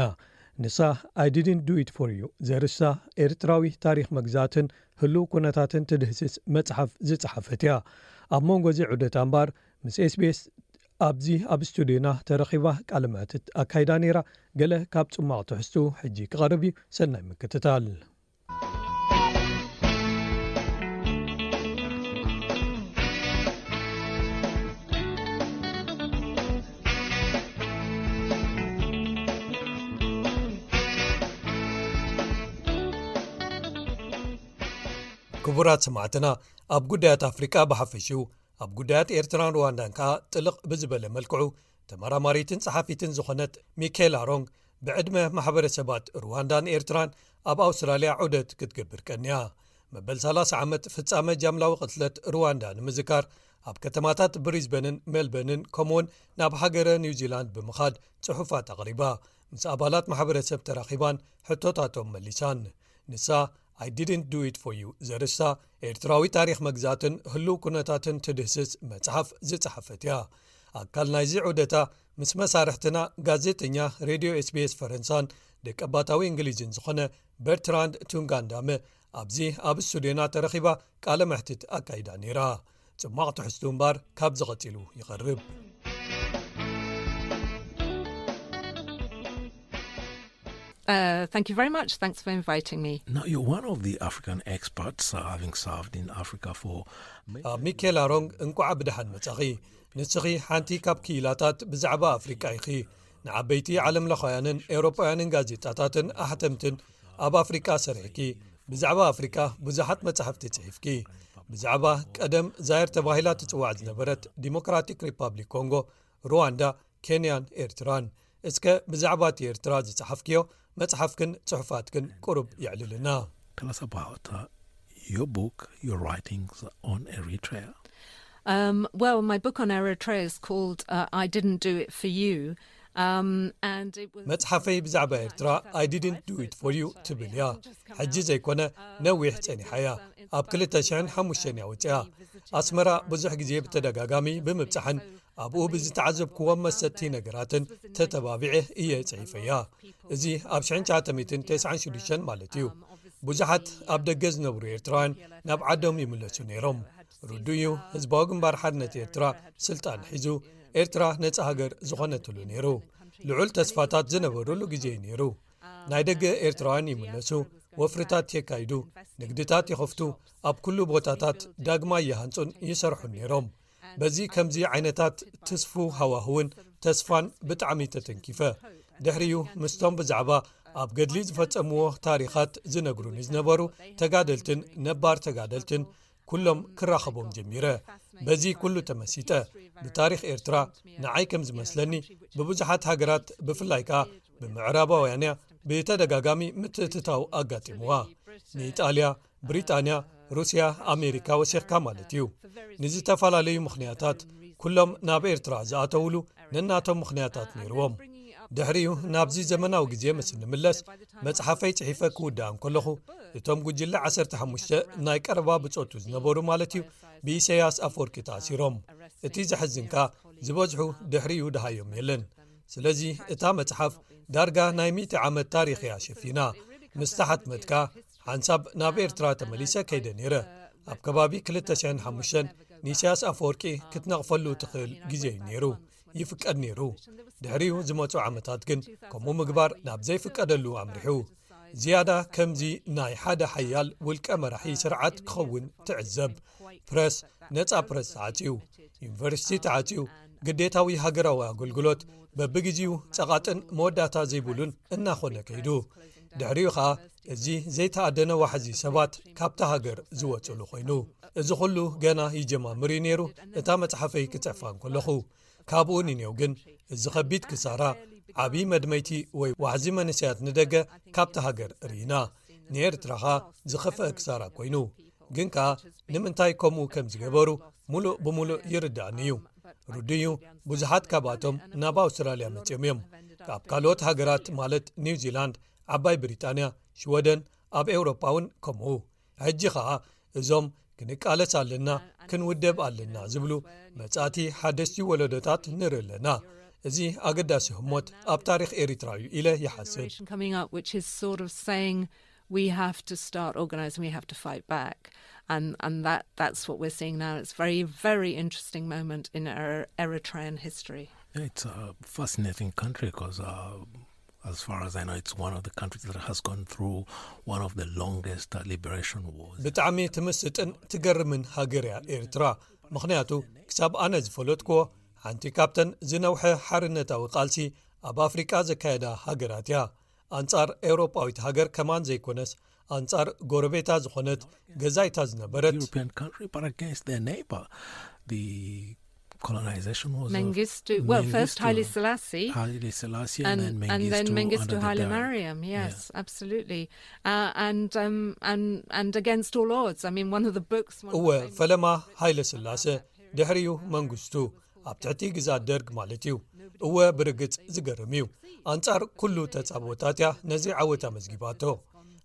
ንሳ I didn't do it for you ዘርእስታ ኤርትራዊ ታሪኽ መግዛእትን ህሉው ኩነታትን ትድህስስ መጽሓፍ ዝጸሓፈት እያ። ኣብ መንጎ እዚ ዑደታ እምበኣር ምስ ኤስቢኤስ ኣብዚ ኣብ ስቱድዮና ተረኺባ ቃለ መሕትት ኣካይዳ ነይራ። ገለ ካብ ጽማቕ ትሕዝቱ ሕጂ ክቐርብ እዩ። ሰናይ ምክትታል። ክቡራት ሰማዕትና፣ ኣብ ጉዳያት ኣፍሪቃ ብሓፈሽኡ፣ ኣብ ጉዳያት ኤርትራን ሩዋንዳን ከኣ ጥልቕ ብዝበለ መልክዑ ተመራማሪትን ጸሓፊትን ዝኾነት ሚካኤላ ሮንግ፣ ብዕድመ ማሕበረሰባት ሩዋንዳን ኤርትራን ኣብ ኣውስትራልያ ዑደት ክትገብር ቀንያ። መበል ሰላሳ ዓመት ፍጻመ ጃምላዊ ቅትለት ሩዋንዳ ንምዝካር፣ ኣብ ከተማታት ብሪዝበንን ሜልበርንን ከምኡውን ናብ ሃገረ ኒውዚላንድ ብምኻድ ጽሑፋት ኣቕሪባ፣ ምስ ኣባላት ማሕበረሰብ ተራኺባን ሕቶታቶም መሊሳን። ንሳ I didn't do it for you ዘርእስታ ኤርትራዊ ታሪኽ መግዛእትን ህሉው ኩነታትን ትድህስስ መጽሓፍ ዝጸሓፈት እያ። ኣካል ናይዚ ዑደታ ምስ መሳርሕትና ጋዜጠኛ ሬድዮ ኤስቢኤስ ፈረንሳን ደቀባታዊ እንግሊዝን ዝኾነ በርትራንድ ቱንጋንዳመ ኣብዚ ኣብ ስቱድዮና ተረኺባ ቃለ መሕትት ኣካይዳ ነይራ። ጽማቕ ትሕዝቱ እምባር ካብዚ ቀጺሉ ይቐርብ። Uh, thank you very much. Thanks for inviting me. Now, you're one of the African experts, uh, having served in Africa for many ኣብ ሚኬላ ሮንግ እንቋዕ ብደሓን መጻኺ። ንስኺ ሓንቲ ካብ ክኢላታት ብዛዕባ ኣፍሪቃ ኢኺ። ንዓበይቲ ዓለምለኻውያንን ኤውሮጳውያንን ጋዜጣታትን ኣሕተምትን ኣብ ኣፍሪቃ ሰሪሕኪ። ብዛዕባ ኣፍሪቃ ብዙሓት መጻሕፍቲ ጽሒፍኪ። ብዛዕባ ቀደም ዛየር ተባሂላ ትጽዋዕ ዝነበረት ዲሞክራቲክ ሪፓብሊክ ኮንጎ፣ ሩዋንዳ፣ ኬንያን ኤርትራን። እስከ ብዛዕባ እቲ ኤርትራ ዝጸሓፍክዮ መጽሓፍክን ጽሑፋትክን ቁሩብ የዕልልና። Tell us about uh, your book, your writings on Eritrea. Um, well, my book on Eritrea is called uh, I Didn't Do It For You. Um, and it was መጽሓፈይ ብዛዕባ ኤርትራ I Didn't Do It For You ትብል እያ። ሕጂ ዘይኮነ ነዊሕ ጸኒሓ እያ። ኣብ ክልተ ሽሕን ሓሙሽተን እያ ወጺኣ። ኣስመራ ብዙሕ ግዜ ብተደጋጋሚ ብምብጻሕን ኣብኡ ብዝተዓዘብክዎም መሰጥቲ ነገራትን ተተባቢዐ እየ ጽሒፈያ። እዚ ኣብ ሽሕን ትሽዓተ ሚእትን ተስዓን ሽዱሽተን ማለት እዩ። ብዙሓት ኣብ ደገ ዝነብሩ ኤርትራውያን ናብ ዓዶም ይምለሱ ነይሮም። ርዱእ እዩ፣ ህዝባዊ ግንባር ሓርነት ኤርትራ ስልጣን ሒዙ ኤርትራ ነጻ ሃገር ዝኾነትሉ ነይሩ። ልዑል ተስፋታት ዝነበሩሉ ግዜ እዩ ነይሩ። ናይ ደገ ኤርትራውያን ይምለሱ፣ ወፍርታት የካይዱ፣ ንግድታት ይኸፍቱ፣ ኣብ ኩሉ ቦታታት ዳግማይ ይሃንጹን ይሰርሑን ነይሮም። በዚ ከምዚ ዓይነታት ትስፉ ሃዋህውን ተስፋን ብጣዕሚ ተተንኪፈ። ድሕሪኡ ምስቶም ብዛዕባ ኣብ ገድሊ ዝፈጸምዎ ታሪኻት ዝነግሩኒ ዝነበሩ ተጋደልትን ነባር ተጋደልትን ኩሎም ክራኸቦም ጀሚረ። በዚ ኩሉ ተመሲጠ። ብታሪኽ ኤርትራ ንዓይ ከም ዝመስለኒ ብብዙሓት ሃገራት ብፍላይ ከኣ ብምዕራባውያን እያ ብተደጋጋሚ ምትእትታው ኣጋጢምዋ። ንኢጣልያ፣ ብሪጣንያ፣ ሩስያ፣ ኣሜሪካ ወሲኽካ ማለት እዩ። ንዝተፈላለዩ ምኽንያታት ኩሎም ናብ ኤርትራ ዝኣተውሉ ነናቶም ምኽንያታት ነይርዎም። ድሕሪኡ ናብዚ ዘመናዊ ግዜ ምስ እንምለስ መጽሓፈይ ጽሒፈ ክውድኣ እንከለኹ እቶም ጉጅለ ዓሰርተ ሓሙሽተ ናይ ቀረባ ብጾቱ ዝነበሩ ማለት እዩ ብኢሰያስ ኣፈወርቂ ተኣሲሮም። እቲ ዘሕዝንካ ዝበዝሑ ድሕሪኡ ደሃዮም የለን። ስለዚ እታ መጽሓፍ ዳርጋ ናይ ሚእቲ ዓመት ታሪኽ እያ ሸፊና። ምስ ተሓትመትካ ሓንሳብ ናብ ኤርትራ ተመሊሰ ከይደ ነይረ። ኣብ ከባቢ ክልተ ሽሕን ሓሙሽተን ንኢሳያስ ኣፈወርቂ ክትነቕፈሉ ትኽእል ግዜ እዩ ነይሩ። ይፍቀድ ነይሩ። ድሕሪኡ ዝመጹ ዓመታት ግን ከምኡ ምግባር ናብ ዘይፍቀደሉ ኣምሪሑ። ዝያዳ ከምዚ ናይ ሓደ ሓያል ውልቀ መራሒ ስርዓት ክኸውን ትዕዘብ። ፕረስ፣ ነጻ ፕረስ ተዓጽዩ፣ ዩኒቨርሲቲ ተዓጽዩ፣ ግዴታዊ ሃገራዊ ኣገልግሎት በብግዜኡ ጸቓጥን መወዳእታ ዘይብሉን እናኾነ ከይዱ። ድሕሪኡ ኸኣ እዚ ዘይተኣደነ ዋሕዚ ሰባት ካብታ ሃገር ዝወጽሉ ኮይኑ። እዚ ኹሉ ገና ይጀማምር እዩ ነይሩ እታ መጽሓፈይ ክጽሕፋ እንከለኹ። ካብኡ ንኔው ግን እዚ ኸቢድ ክሳራ፣ ዓብዪ መድመይቲ ወይ ዋሕዚ መንእሰያት ንደገ ካብታ ሃገር ርኢና። ንኤርትራ ኸኣ ዝኸፍአ ክሳራ ኮይኑ። ግን ከኣ ንምንታይ ከምኡ ከም ዝገበሩ ሙሉእ ብሙሉእ ይርድኣኒ እዩ። ርዱእ እዩ፣ ብዙሓት ካብኣቶም ናብ ኣውስትራልያ መጺኦም እዮም። ካብ ካልኦት ሃገራት ማለት ኒውዚላንድ፣ ዓባይ ብሪጣንያ፣ ሽወደን፣ ኣብ ኤውሮጳ እውን ከምኡ። ሕጂ ኸኣ እዞም ክንቃለስ ኣለና፣ ክንውደብ ኣለና ዝብሉ መጻእቲ ሓደስቲ ወለዶታት ንርኢ ኣለና። እዚ ኣገዳሲ ህሞት ኣብ ታሪኽ ኤሪትራ እዩ ኢለ ይሓስብ። Generation coming up which is sort of saying we have to start organizing, we have to fight back. And, and that, that's what we're seeing now. It's a very, very interesting moment in Er- Eritrean history. It's a fascinating country because, uh, as far as I know, it's one of the countries that has gone through one of the longest uh, liberation wars. ብጣዕሚ ትምስጥን ትገርምን ሃገር እያ ኤርትራ። ምኽንያቱ ክሳብ ኣነ ዝፈለጥክዎ ሓንቲ ካብተን ዝነውሐ ሓርነታዊ ቃልሲ ኣብ ኣፍሪቃ ዘካየዳ ሃገራት እያ። ኣንጻር ኤውሮጳዊት ሃገር ከማን ዘይኮነስ ኣንጻር ጎረቤታ ዝኾነት ገዛይታ ዝነበረት European country, but against their neighbor. The colonization was of Mengistu, well, first Mengistu, Haile Selassie, Haile Selassie, and, and then Mengistu, and then Mengistu under the Haile Derg. Mariam, yes, absolutely, uh, and um, and and against all odds. I mean, one of the books. One of እወ the famous ፈለማ ሃይለ ስላሰ፣ ድሕሪኡ መንግስቱ፣ ኣብ ትሕቲ ግዛት ደርግ ማለት እዩ። እወ ብርግጽ ዝገርም እዩ። ኣንጻር ኩሉ ተጻብኦታት እያ ነዚ ዓወት ኣመዝጊባቶ።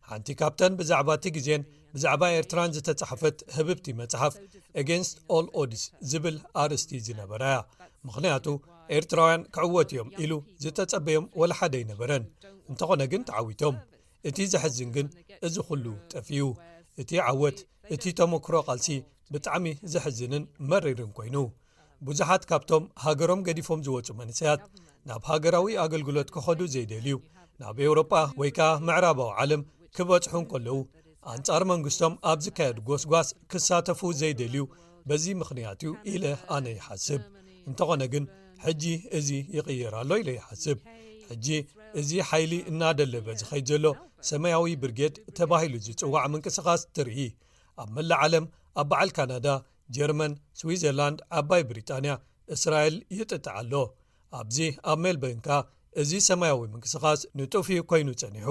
ሓንቲ ካብተን ብዛዕባ እቲ ግዜን ብዛዕባ ኤርትራን ዝተጻሕፈት ህብብቲ መጽሓፍ Against All Odds ዝብል ኣርእስቲ ዝነበራ እያ። ምኽንያቱ ኤርትራውያን ክዕወት እዮም ኢሉ ዝተጸበዮም ወላ ሓደ ኣይነበረን። እንተኾነ ግን ተዓዊቶም። እቲ ዘሕዝን ግን እዚ ኩሉ ጠፊኡ። እቲ ዓወት፣ እቲ ተመክሮ ቃልሲ ብጣዕሚ ዘሕዝንን መሪርን ኮይኑ። ብዙሓት ካብቶም ሃገሮም ገዲፎም ዝወጹ መንእሰያት ናብ ሃገራዊ ኣገልግሎት ክኸዱ ዘይደልዩ፣ ናብ ኤውሮጳ ወይ ከኣ ምዕራባዊ ዓለም ክበጽሑ እንከለዉ ኣንጻር መንግስቶም ኣብ ዝካየድ ጎስጓስ ክሳተፉ ዘይደልዩ በዚ ምኽንያት እዩ ኢለ ኣነ ይሓስብ። እንተኾነ ግን ሕጂ እዚ ይቕየር ኣሎ ኢለ ይሓስብ። ሕጂ እዚ ሓይሊ እናደለበ ዝኸይድ ዘሎ ሰማያዊ ብርጌድ ተባሂሉ ዝጽዋዕ ምንቅስቓስ ትርኢ። ኣብ መላእ ዓለም ኣብ በዓል ካናዳ፣ ጀርመን፣ ስዊዘርላንድ፣ ዓባይ ብሪጣንያ፣ እስራኤል ይጥጥዕ ኣሎ። ኣብዚ ኣብ ሜልበርን ከኣ እዚ ሰማያዊ ምንቅስቓስ ንጡፍ እዩ ኮይኑ ጸኒሑ።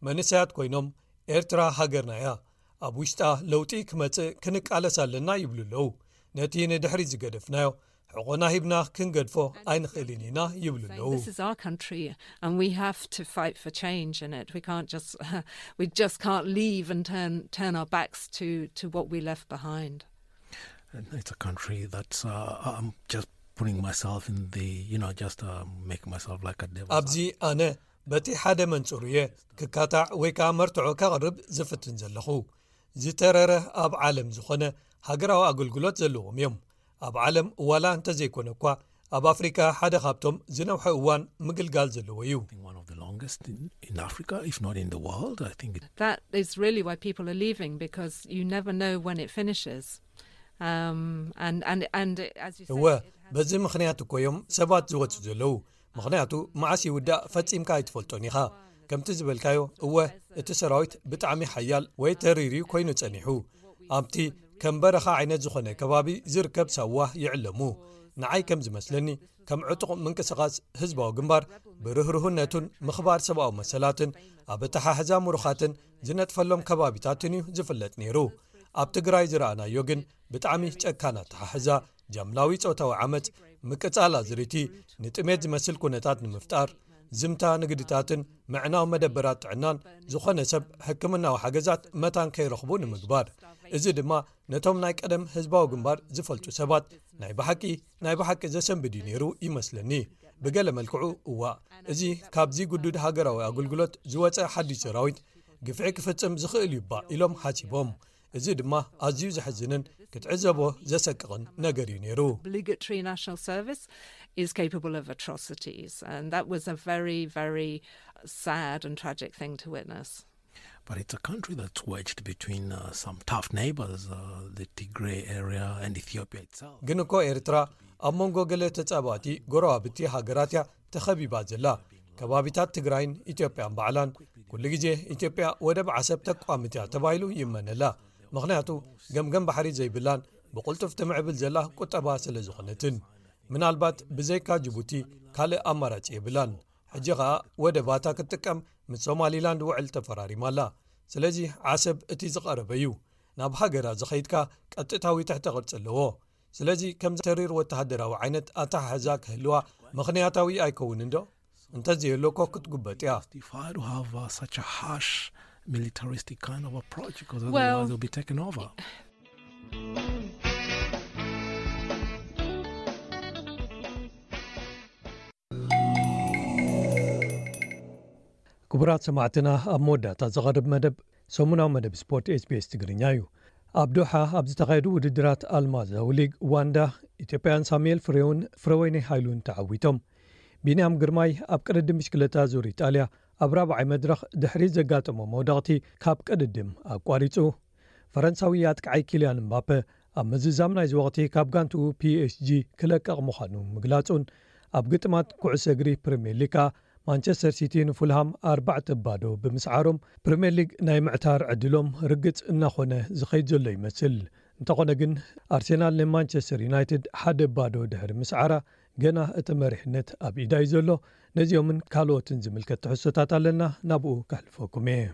መንእሰያት ኮይኖም ኤርትራ ሃገርና እያ፣ ኣብ ውሽጣ ለውጢ ክመጽእ ክንቃለስ ኣለና ይብሉ ኣለዉ። ነቲ ንድሕሪት ዝገደፍናዮ ሕቖና ሂብና ክንገድፎ ኣይንኽእልን ኢና ይብሉ ኣለዉ። This is our country, and we have to fight for change in it. We can't just we just can't leave and turn turn our backs to to what we left behind. And it's a country that's uh, I'm just putting myself in the you know just uh, making myself like a devil. ኣብዚ ኣነ በቲ ሓደ መንጽሩ እየ ክካታዕ ወይ ከኣ መርትዖ ከቕርብ ዝፍትን ዘለኹ። ዝተረረ ኣብ ዓለም ዝኾነ ሃገራዊ ኣገልግሎት ዘለዎም እዮም። ኣብ ዓለም ዋላ እንተዘይኮነ እኳ ኣብ ኣፍሪቃ ሓደ ካብቶም ዝነውሐ እዋን ምግልጋል ዘለዎ እዩ። One of the longest in, in Africa, if not in the world. I think it, That is really why people are leaving, because you never know when it finishes. Um, and and and it, as you say, እወ፣ በዚ ምኽንያት እኮ እዮም ሰባት ዝወጹ ዘለዉ። ምኽንያቱ መዓስ ይውዳእ ፈጺምካ ኣይትፈልጦን ኢኻ። ከምቲ ዝበልካዮ፣ እወ፣ እቲ ሰራዊት ብጣዕሚ ሓያል ወይ ተሪር እዩ ኮይኑ ጸኒሑ። ኣብቲ ከም በረኻ ዓይነት ዝኾነ ከባቢ ዝርከብ ሳዋ ይዕለሙ። ንዓይ ከም ዝመስለኒ፣ ከም ዕጡቕ ምንቅስቓስ ህዝባዊ ግንባር፣ ብርህርህነቱን ምኽባር ሰብኣዊ መሰላትን ኣብ ኣተሓሕዛ ምሩኻትን ዝነጥፈሎም ከባቢታትን እዩ ዝፍለጥ ነይሩ። ኣብ ትግራይ ዝረኣናዮ ግን ብጣዕሚ ጨካን ኣተሓሕዛ፣ ጃምላዊ ጾታዊ ዓመጽ፣ ምቅጻል ኣዝርእቲ፣ ንጥሜት ዝመስል ኩነታት ንምፍጣር፣ ዝምታ ንግድታትን ምዕናው መደበራት ጥዕናን ዝኾነ ሰብ ሕክምናዊ ሓገዛት መታን ከይረኽቡ ንምግባር። እዚ ድማ ነቶም ናይ ቀደም ህዝባዊ ግንባር ዝፈልጡ ሰባት ናይ ብሓቂ፣ ናይ ብሓቂ ዘሰንብድ እዩ ነይሩ ይመስለኒ። ብገለ መልክዑ፣ እዋእ፣ እዚ ካብዚ ግዱድ ሃገራዊ ኣገልግሎት ዝወጸ ሓድሽ ሰራዊት ግፍዒ ክፍጽም ዝኽእል እዩ እባ ኢሎም ሓሲቦም። እዚ ድማ ኣዝዩ ዘሕዝንን ክትዕዘቦ ዘሰቅቕን ነገር እዩ ነይሩ። Obligatory national service is capable of atrocities, and that was a very, very sad and tragic thing to witness. But it's a country that's wedged between uh, some tough neighbors, uh, the Tigray area and Ethiopia itself. ግን እኮ ኤርትራ ኣብ መንጎ ገለ ተጻባእቲ ጎረባብቲ ሃገራት እያ ተኸቢባ ዘላ። ከባቢታት ትግራይን ኢትዮጵያን ባዕላን፣ ኩሉ ግዜ ኢትዮጵያ ወደብ ዓሰብ ተቋምት እያ ተባሂሉ ይእመነላ። ምኽንያቱ፣ ገምገም ባሕሪ ዘይብላን ብቕልጡፍ ትምዕብል ዘላ ቁጠባ ስለ ዝኾነትን። ምናልባት ብዘይካ ጅቡቲ ካልእ ኣማራጺ የብላን። ሕጂ ኸኣ ወደባታ ክትጥቀም ምስ ሶማሊላንድ ውዕል ተፈራሪማ ኣላ። ስለዚ ዓሰብ እቲ ዝቐረበ እዩ። ናብ ሃገራ ዝኸይድካ ቀጥታዊ ትሕተ ቅርጺ ኣለዎ። ስለዚ ከምዚ ተሪር ወተሃደራዊ ዓይነት ኣተሓሕዛ ክህልዋ ምኽንያታዊ ኣይከውንን ዶ? እንተዘየሎ እኮ ክትጉበጥ እያ። Justified to have uh, such a harsh militaristic kind of approach because Well, otherwise they'll be taken over. ክቡራት ሰማዕትና፣ ኣብ መወዳእታ ዝቐርብ መደብ ሰሙናዊ መደብ ስፖርት ኤስቢኤስ ትግርኛ እዩ። ኣብ ዶሓ ኣብ ዝተኻየዱ ውድድራት ኣልማዛዊ ሊግ ዋንዳ፣ ኢትዮጵያውያን ሳሙኤል ፍሬውን ፍረወይኒ ሃይሉን ተዓዊቶም። ቢንያም ግርማይ ኣብ ቅድድም ብሽክለታ ዙር ኢጣልያ ኣብ ራብዓይ መድረኽ ድሕሪ ዘጋጠሞ መውደቕቲ ካብ ቅድድም ኣቋሪጹ። ፈረንሳዊ ኣጥቃዓይ ኪልያን እምባፐ ኣብ ምዝዛም ናይዚ ወቕቲ ካብ ጋንትኡ ፒኤስጂ ክለቀቕ ምዃኑ ምግላጹን፣ ኣብ ግጥማት ኩዕሶ እግሪ ፕሪምየር ሊግ ከኣ ማንቸስተር ሲቲ ንፉልሃም ኣርባዕተ ባዶ ብምስዓሮም፣ ፕሪምየር ሊግ ናይ ምዕታር ዕድሎም ርግጽ እናኾነ ዝኸይድ ዘሎ ይመስል። እንተኾነ ግን፣ ኣርሴናል ንማንቸስተር ዩናይትድ ሓደ ባዶ ድሕሪ ምስዓራ፣ ገና እቲ መሪሕነት ኣብ ኢዳ እዩ ዘሎ። ነዚኦምን ካልኦትን ዝምልከት ትሕዝቶታት ኣለና፣ ናብኡ ከሕልፈኩም እየ።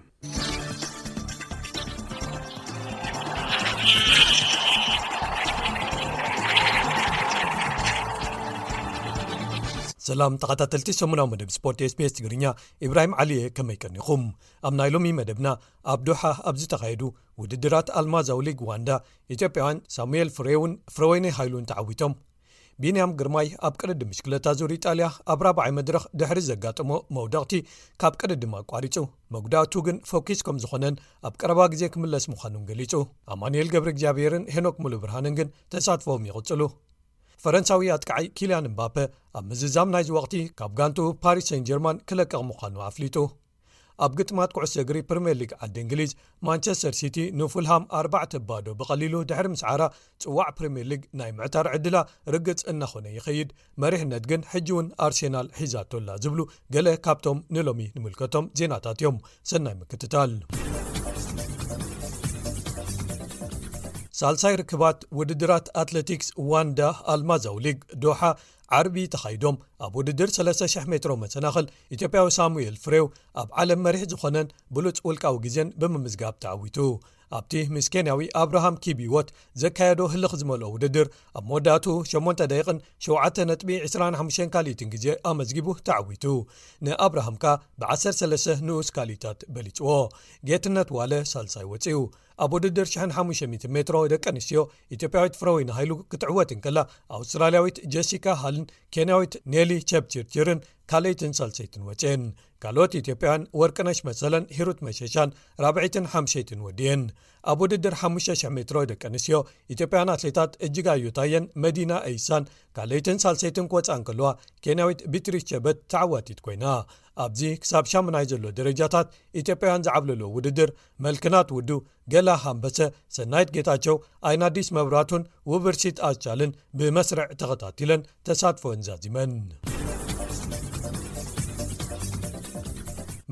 ሰላም ተኸታተልቲ ሰሙናዊ መደብ ስፖርት ኤስቢኤስ ትግርኛ፣ ኢብራሂም ዓሊየ፣ ከመይ ቀኒኹም? ኣብ ናይ ሎሚ መደብና፣ ኣብ ዶሓ ኣብ ዝተኻየዱ ውድድራት ኣልማዛዊ ሊግ ዋንዳ፣ ኢትዮጵያውያን ሳሙኤል ፍሬውን ፍረወይኒ ሃይሉን ተዓዊቶም። ቢንያም ግርማይ ኣብ ቅድድም ብሽክለታ ዙር ኢጣልያ ኣብ ራብዓይ መድረኽ ድሕሪ ዘጋጠሞ መውደቕቲ ካብ ቅድድም ኣቋሪጹ። መጉዳእቱ ግን ፈኲስ ከም ዝኾነን ኣብ ቀረባ ግዜ ክምለስ ምዃኑን ገሊጹ። ኣማኑኤል ገብረ እግዚኣብሔርን ሄኖክ ሙሉ ብርሃንን ግን ተሳትፎም ይቕጽሉ። ፈረንሳዊ ኣጥቃዓይ ኪልያን እምባፐ ኣብ ምዝዛም ናይዚ ወቕቲ ካብ ጋንቱ ፓሪስ ሴን ጀርማን ክለቅቕ ምዃኑ ኣፍሊጡ። ኣብ ግጥማት ኩዕሶ እግሪ ፕሪምየር ሊግ ዓዲ እንግሊዝ፣ ማንቸስተር ሲቲ ንፉልሃም ኣርባዕተ ባዶ ብቐሊሉ ድሕሪ ምስዓራ፣ ጽዋዕ ፕሪምየር ሊግ ናይ ምዕታር ዕድላ ርግጽ እናኾነ ይኸይድ። መሪሕነት ግን ሕጂ እውን ኣርሴናል ሒዛቶ ኣላ ዝብሉ ገለ ካብቶም ንሎሚ ንምልከቶም ዜናታት እዮም። ሰናይ ምክትታል። ሳልሳይ ርክባት ውድድራት ኣትሌቲክስ ዋንዳ ኣልማዛዊ ሊግ ዶሓ ዓርቢ ተኻይዶም። ኣብ ውድድር ሰለስተ ሽሕ ሜትሮ መሰናኽል፣ ኢትዮጵያዊ ሳሙኤል ፍሬው ኣብ ዓለም መሪሕ ዝኾነን ብሉጽ ውልቃዊ ግዜን ብምምዝጋብ ተዓዊቱ። ኣብቲ ምስ ኬንያዊ ኣብርሃም ኪቢዎት ዘካየዶ ህልኽ ዝመልኦ ውድድር፣ ኣብ መወዳእቱ ሸሞንተ ደቂቕን ሸውዓተ ነጥቢ ዕስራን ሓሙሽተን ካልኢትን ግዜ ኣመዝጊቡ ተዓዊቱ። ንኣብርሃም ከኣ ብዓሰርተ ሰለስተ ንኡስ ካልኢታት በሊጽዎ። ጌትነት ዋለ ሳልሳይ ወጺኡ። ኣብ ውድድር ሽሕን ሓሙሽተ ሚእትን ሜትሮ ደቂ ኣንስትዮ፣ ኢትዮጵያዊት ፍረወይኒ ሃይሉ ክትዕወት እንከላ፣ ኣውስትራልያዊት ጀሲካ ሃልን ኬንያዊት ኔሊ ቸፕችርችርን ካልኣይትን ሳልሰይትን ወጽኤን። ካልኦት ኢትዮጵያውያን ወርቅነሽ መሰለን ሂሩት መሸሻን ራብዐይትን ሓምሸይትን ወዲኤን። ኣብ ውድድር ሓሙሽተ ሽሕ ሜትሮ ደቂ ኣንስትዮ፣ ኢትዮጵያውያን ኣትሌታት እጅጋዮ ታየን መዲና ኤይሳን ካልኣይትን ሳልሰይትን ክወጻ እንከለዋ፣ ኬንያዊት ቢትሪስ ቸበት ተዓዋቲት ኮይና። ኣብዚ ክሳብ ሻምናይ ዘሎ ደረጃታት ኢትዮጵያውያን ዝዓብለሎ ውድድር፣ መልክናት ውዱ፣ ገላ ሃምበሰ፣ ሰናይት ጌታቸው፣ ኣይናዲስ መብራቱን ውብርሲት ኣቻልን ብመስርዕ ተኸታቲለን ተሳትፎን ዛዚመን።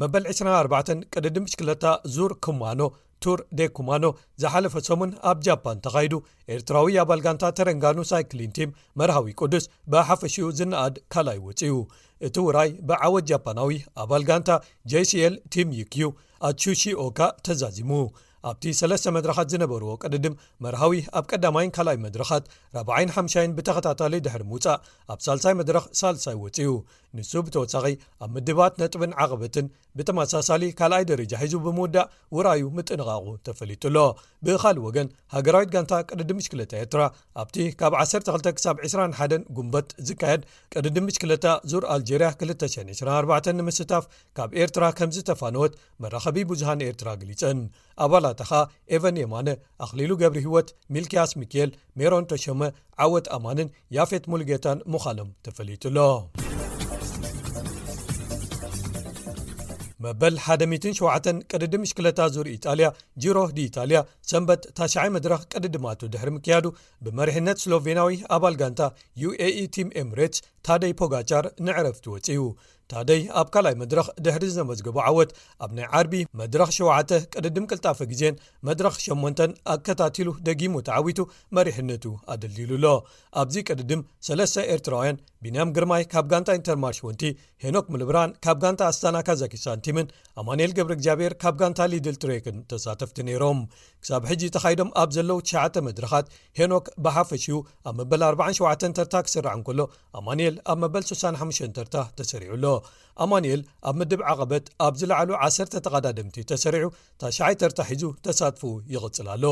መበል ዕስራን ኣርባዕተን ቅድድም ብሽክለታ ዙር ኩማኖ፣ ቱር ዴ ኩማኖ፣ ዝሓለፈ ሰሙን ኣብ ጃፓን ተኻይዱ። ኤርትራዊ ኣባል ጋንታ ተረንጋኑ ሳይክሊን ቲም መርሃዊ ቅዱስ ብሓፈሽኡ ዝነኣድ ካልኣይ ወጺኡ። እቲ ውራይ ብዓወት ጃፓናዊ ኣባል ጋንታ ጄሲኤል ቲም ዩኪዩ ኣትሱሺ ኦካ ተዛዚሙ። ኣብቲ ሰለስተ መድረኻት ዝነበርዎ ቅድድም መርሃዊ ኣብ ቀዳማይን ካልኣይ መድረኻት ራብዓይን ሓምሻይን ብተኸታታሊ ድሕሪ ምውጻእ ኣብ ሳልሳይ መድረኽ ሳልሳይ ወጺኡ። ንሱ ብተወሳኺ ኣብ ምድባት ነጥብን ዓቐበትን ብተመሳሳሊ ካልኣይ ደረጃ ሒዙ ብምውዳእ ውራዩ ምጥንቓቑ ተፈሊጡ ኣሎ። ብኻልእ ወገን ሃገራዊት ጋንታ ቅድድም ብሽክለታ ኤርትራ ኣብቲ ካብ ዓሰርተ ክልተ ክሳብ ዕስራን ሓደን ጉንበት ዝካየድ ቅድድም ብሽክለታ ዙር ኣልጀርያ ክልተ ሽሕን ዕስራን ኣርባዕተን ንምስታፍ ካብ ኤርትራ ከም ዝተፋነወት መራኸቢ ብዙሃን ኤርትራ ገሊጸን። ኣባላታ ኸኣ ኤቨን የማነ፣ ኣኽሊሉ ገብረ ህይወት፣ ሚልክያስ ሚኪኤል፣ ሜሮን ተሾመ፣ ዓወት ኣማንን ያፌት ሙሉጌታን ምዃኖም ተፈሊጡ ኣሎ። መበል ሓደ ሚእትን ሸውዓተን ቅድድም ብሽክለታ ዙር ኢጣልያ ጂሮ ዲ ኢጣልያ ሰንበት ታሽዓይ መድረኽ ቅድድማቱ ድሕሪ ምክያዱ ብመሪሕነት ስሎቬናዊ ኣባል ጋንታ ዩኤኢ ቲም ኤምሬትስ ታደይ ፖጋቻር ንዕረፍቲ ወጺኡ። ታደይ ኣብ ካልኣይ መድረኽ ድሕሪ ዘመዝገቦ ዓወት ኣብ ናይ ዓርቢ መድረኽ ሸውዓተ ቅድድም ቅልጣፈ ግዜን መድረኽ ሸሞንተን ኣከታቲሉ ደጊሙ ተዓዊቱ መሪሕነቱ ኣደልዲሉ ኣሎ። ኣብዚ ቅድድም ሰለስተ ኤርትራውያን ቢንያም ግርማይ ካብ ጋንታ ኢንተርማርሽ ወንቲ፣ ሄኖክ ምልብራን ካብ ጋንታ ኣስታና ካዛኪስታን ቲምን ኣማኑኤል ገብረ እግዚኣብሔር ካብ ጋንታ ሊድል ትሬክን ተሳተፍቲ ነይሮም። ክሳብ ሕጂ ተኻይዶም ኣብ ዘለዉ ትሽዓተ መድረኻት ሄኖክ ብሓፈሽኡ ኣብ መበል ኣርባዓን ሸውዓተን ተርታ ክስራዕ እንከሎ ኣማኑኤል ኣብ መበል ስሳን ሓሙሽተን ተርታ ተሰሪዑ ኣሎ። ኣማኑኤል ኣብ ምድብ ዓቐበት ኣብ ዝለዓሉ ዓሰርተ ተቐዳደምቲ ተሰሪዑ ታሽዓይ ተርታ ሒዙ ተሳትፎኡ ይቕጽል ኣሎ።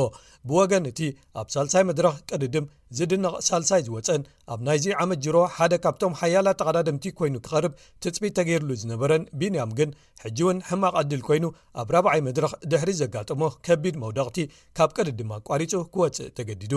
ብወገን እቲ ኣብ ሳልሳይ መድረኽ ቅድድም ዝድነቕ ሳልሳይ ዝወጸን ኣብ ናይዚ ዓመት ጅሮ ሓደ ካብቶም ሓያላት ተቐዳደምቲ ኮይኑ ክቐርብ ትጽቢት ተገይርሉ ዝነበረን ቢንያም ግን ሕጂ እውን ሕማቕ ዕድል ኮይኑ ኣብ ራብዓይ መድረኽ ድሕሪ ዘጋጠሞ ከቢድ መውደቕቲ ካብ ቅድድም ኣቋሪጹ ክወጽእ ተገዲዱ።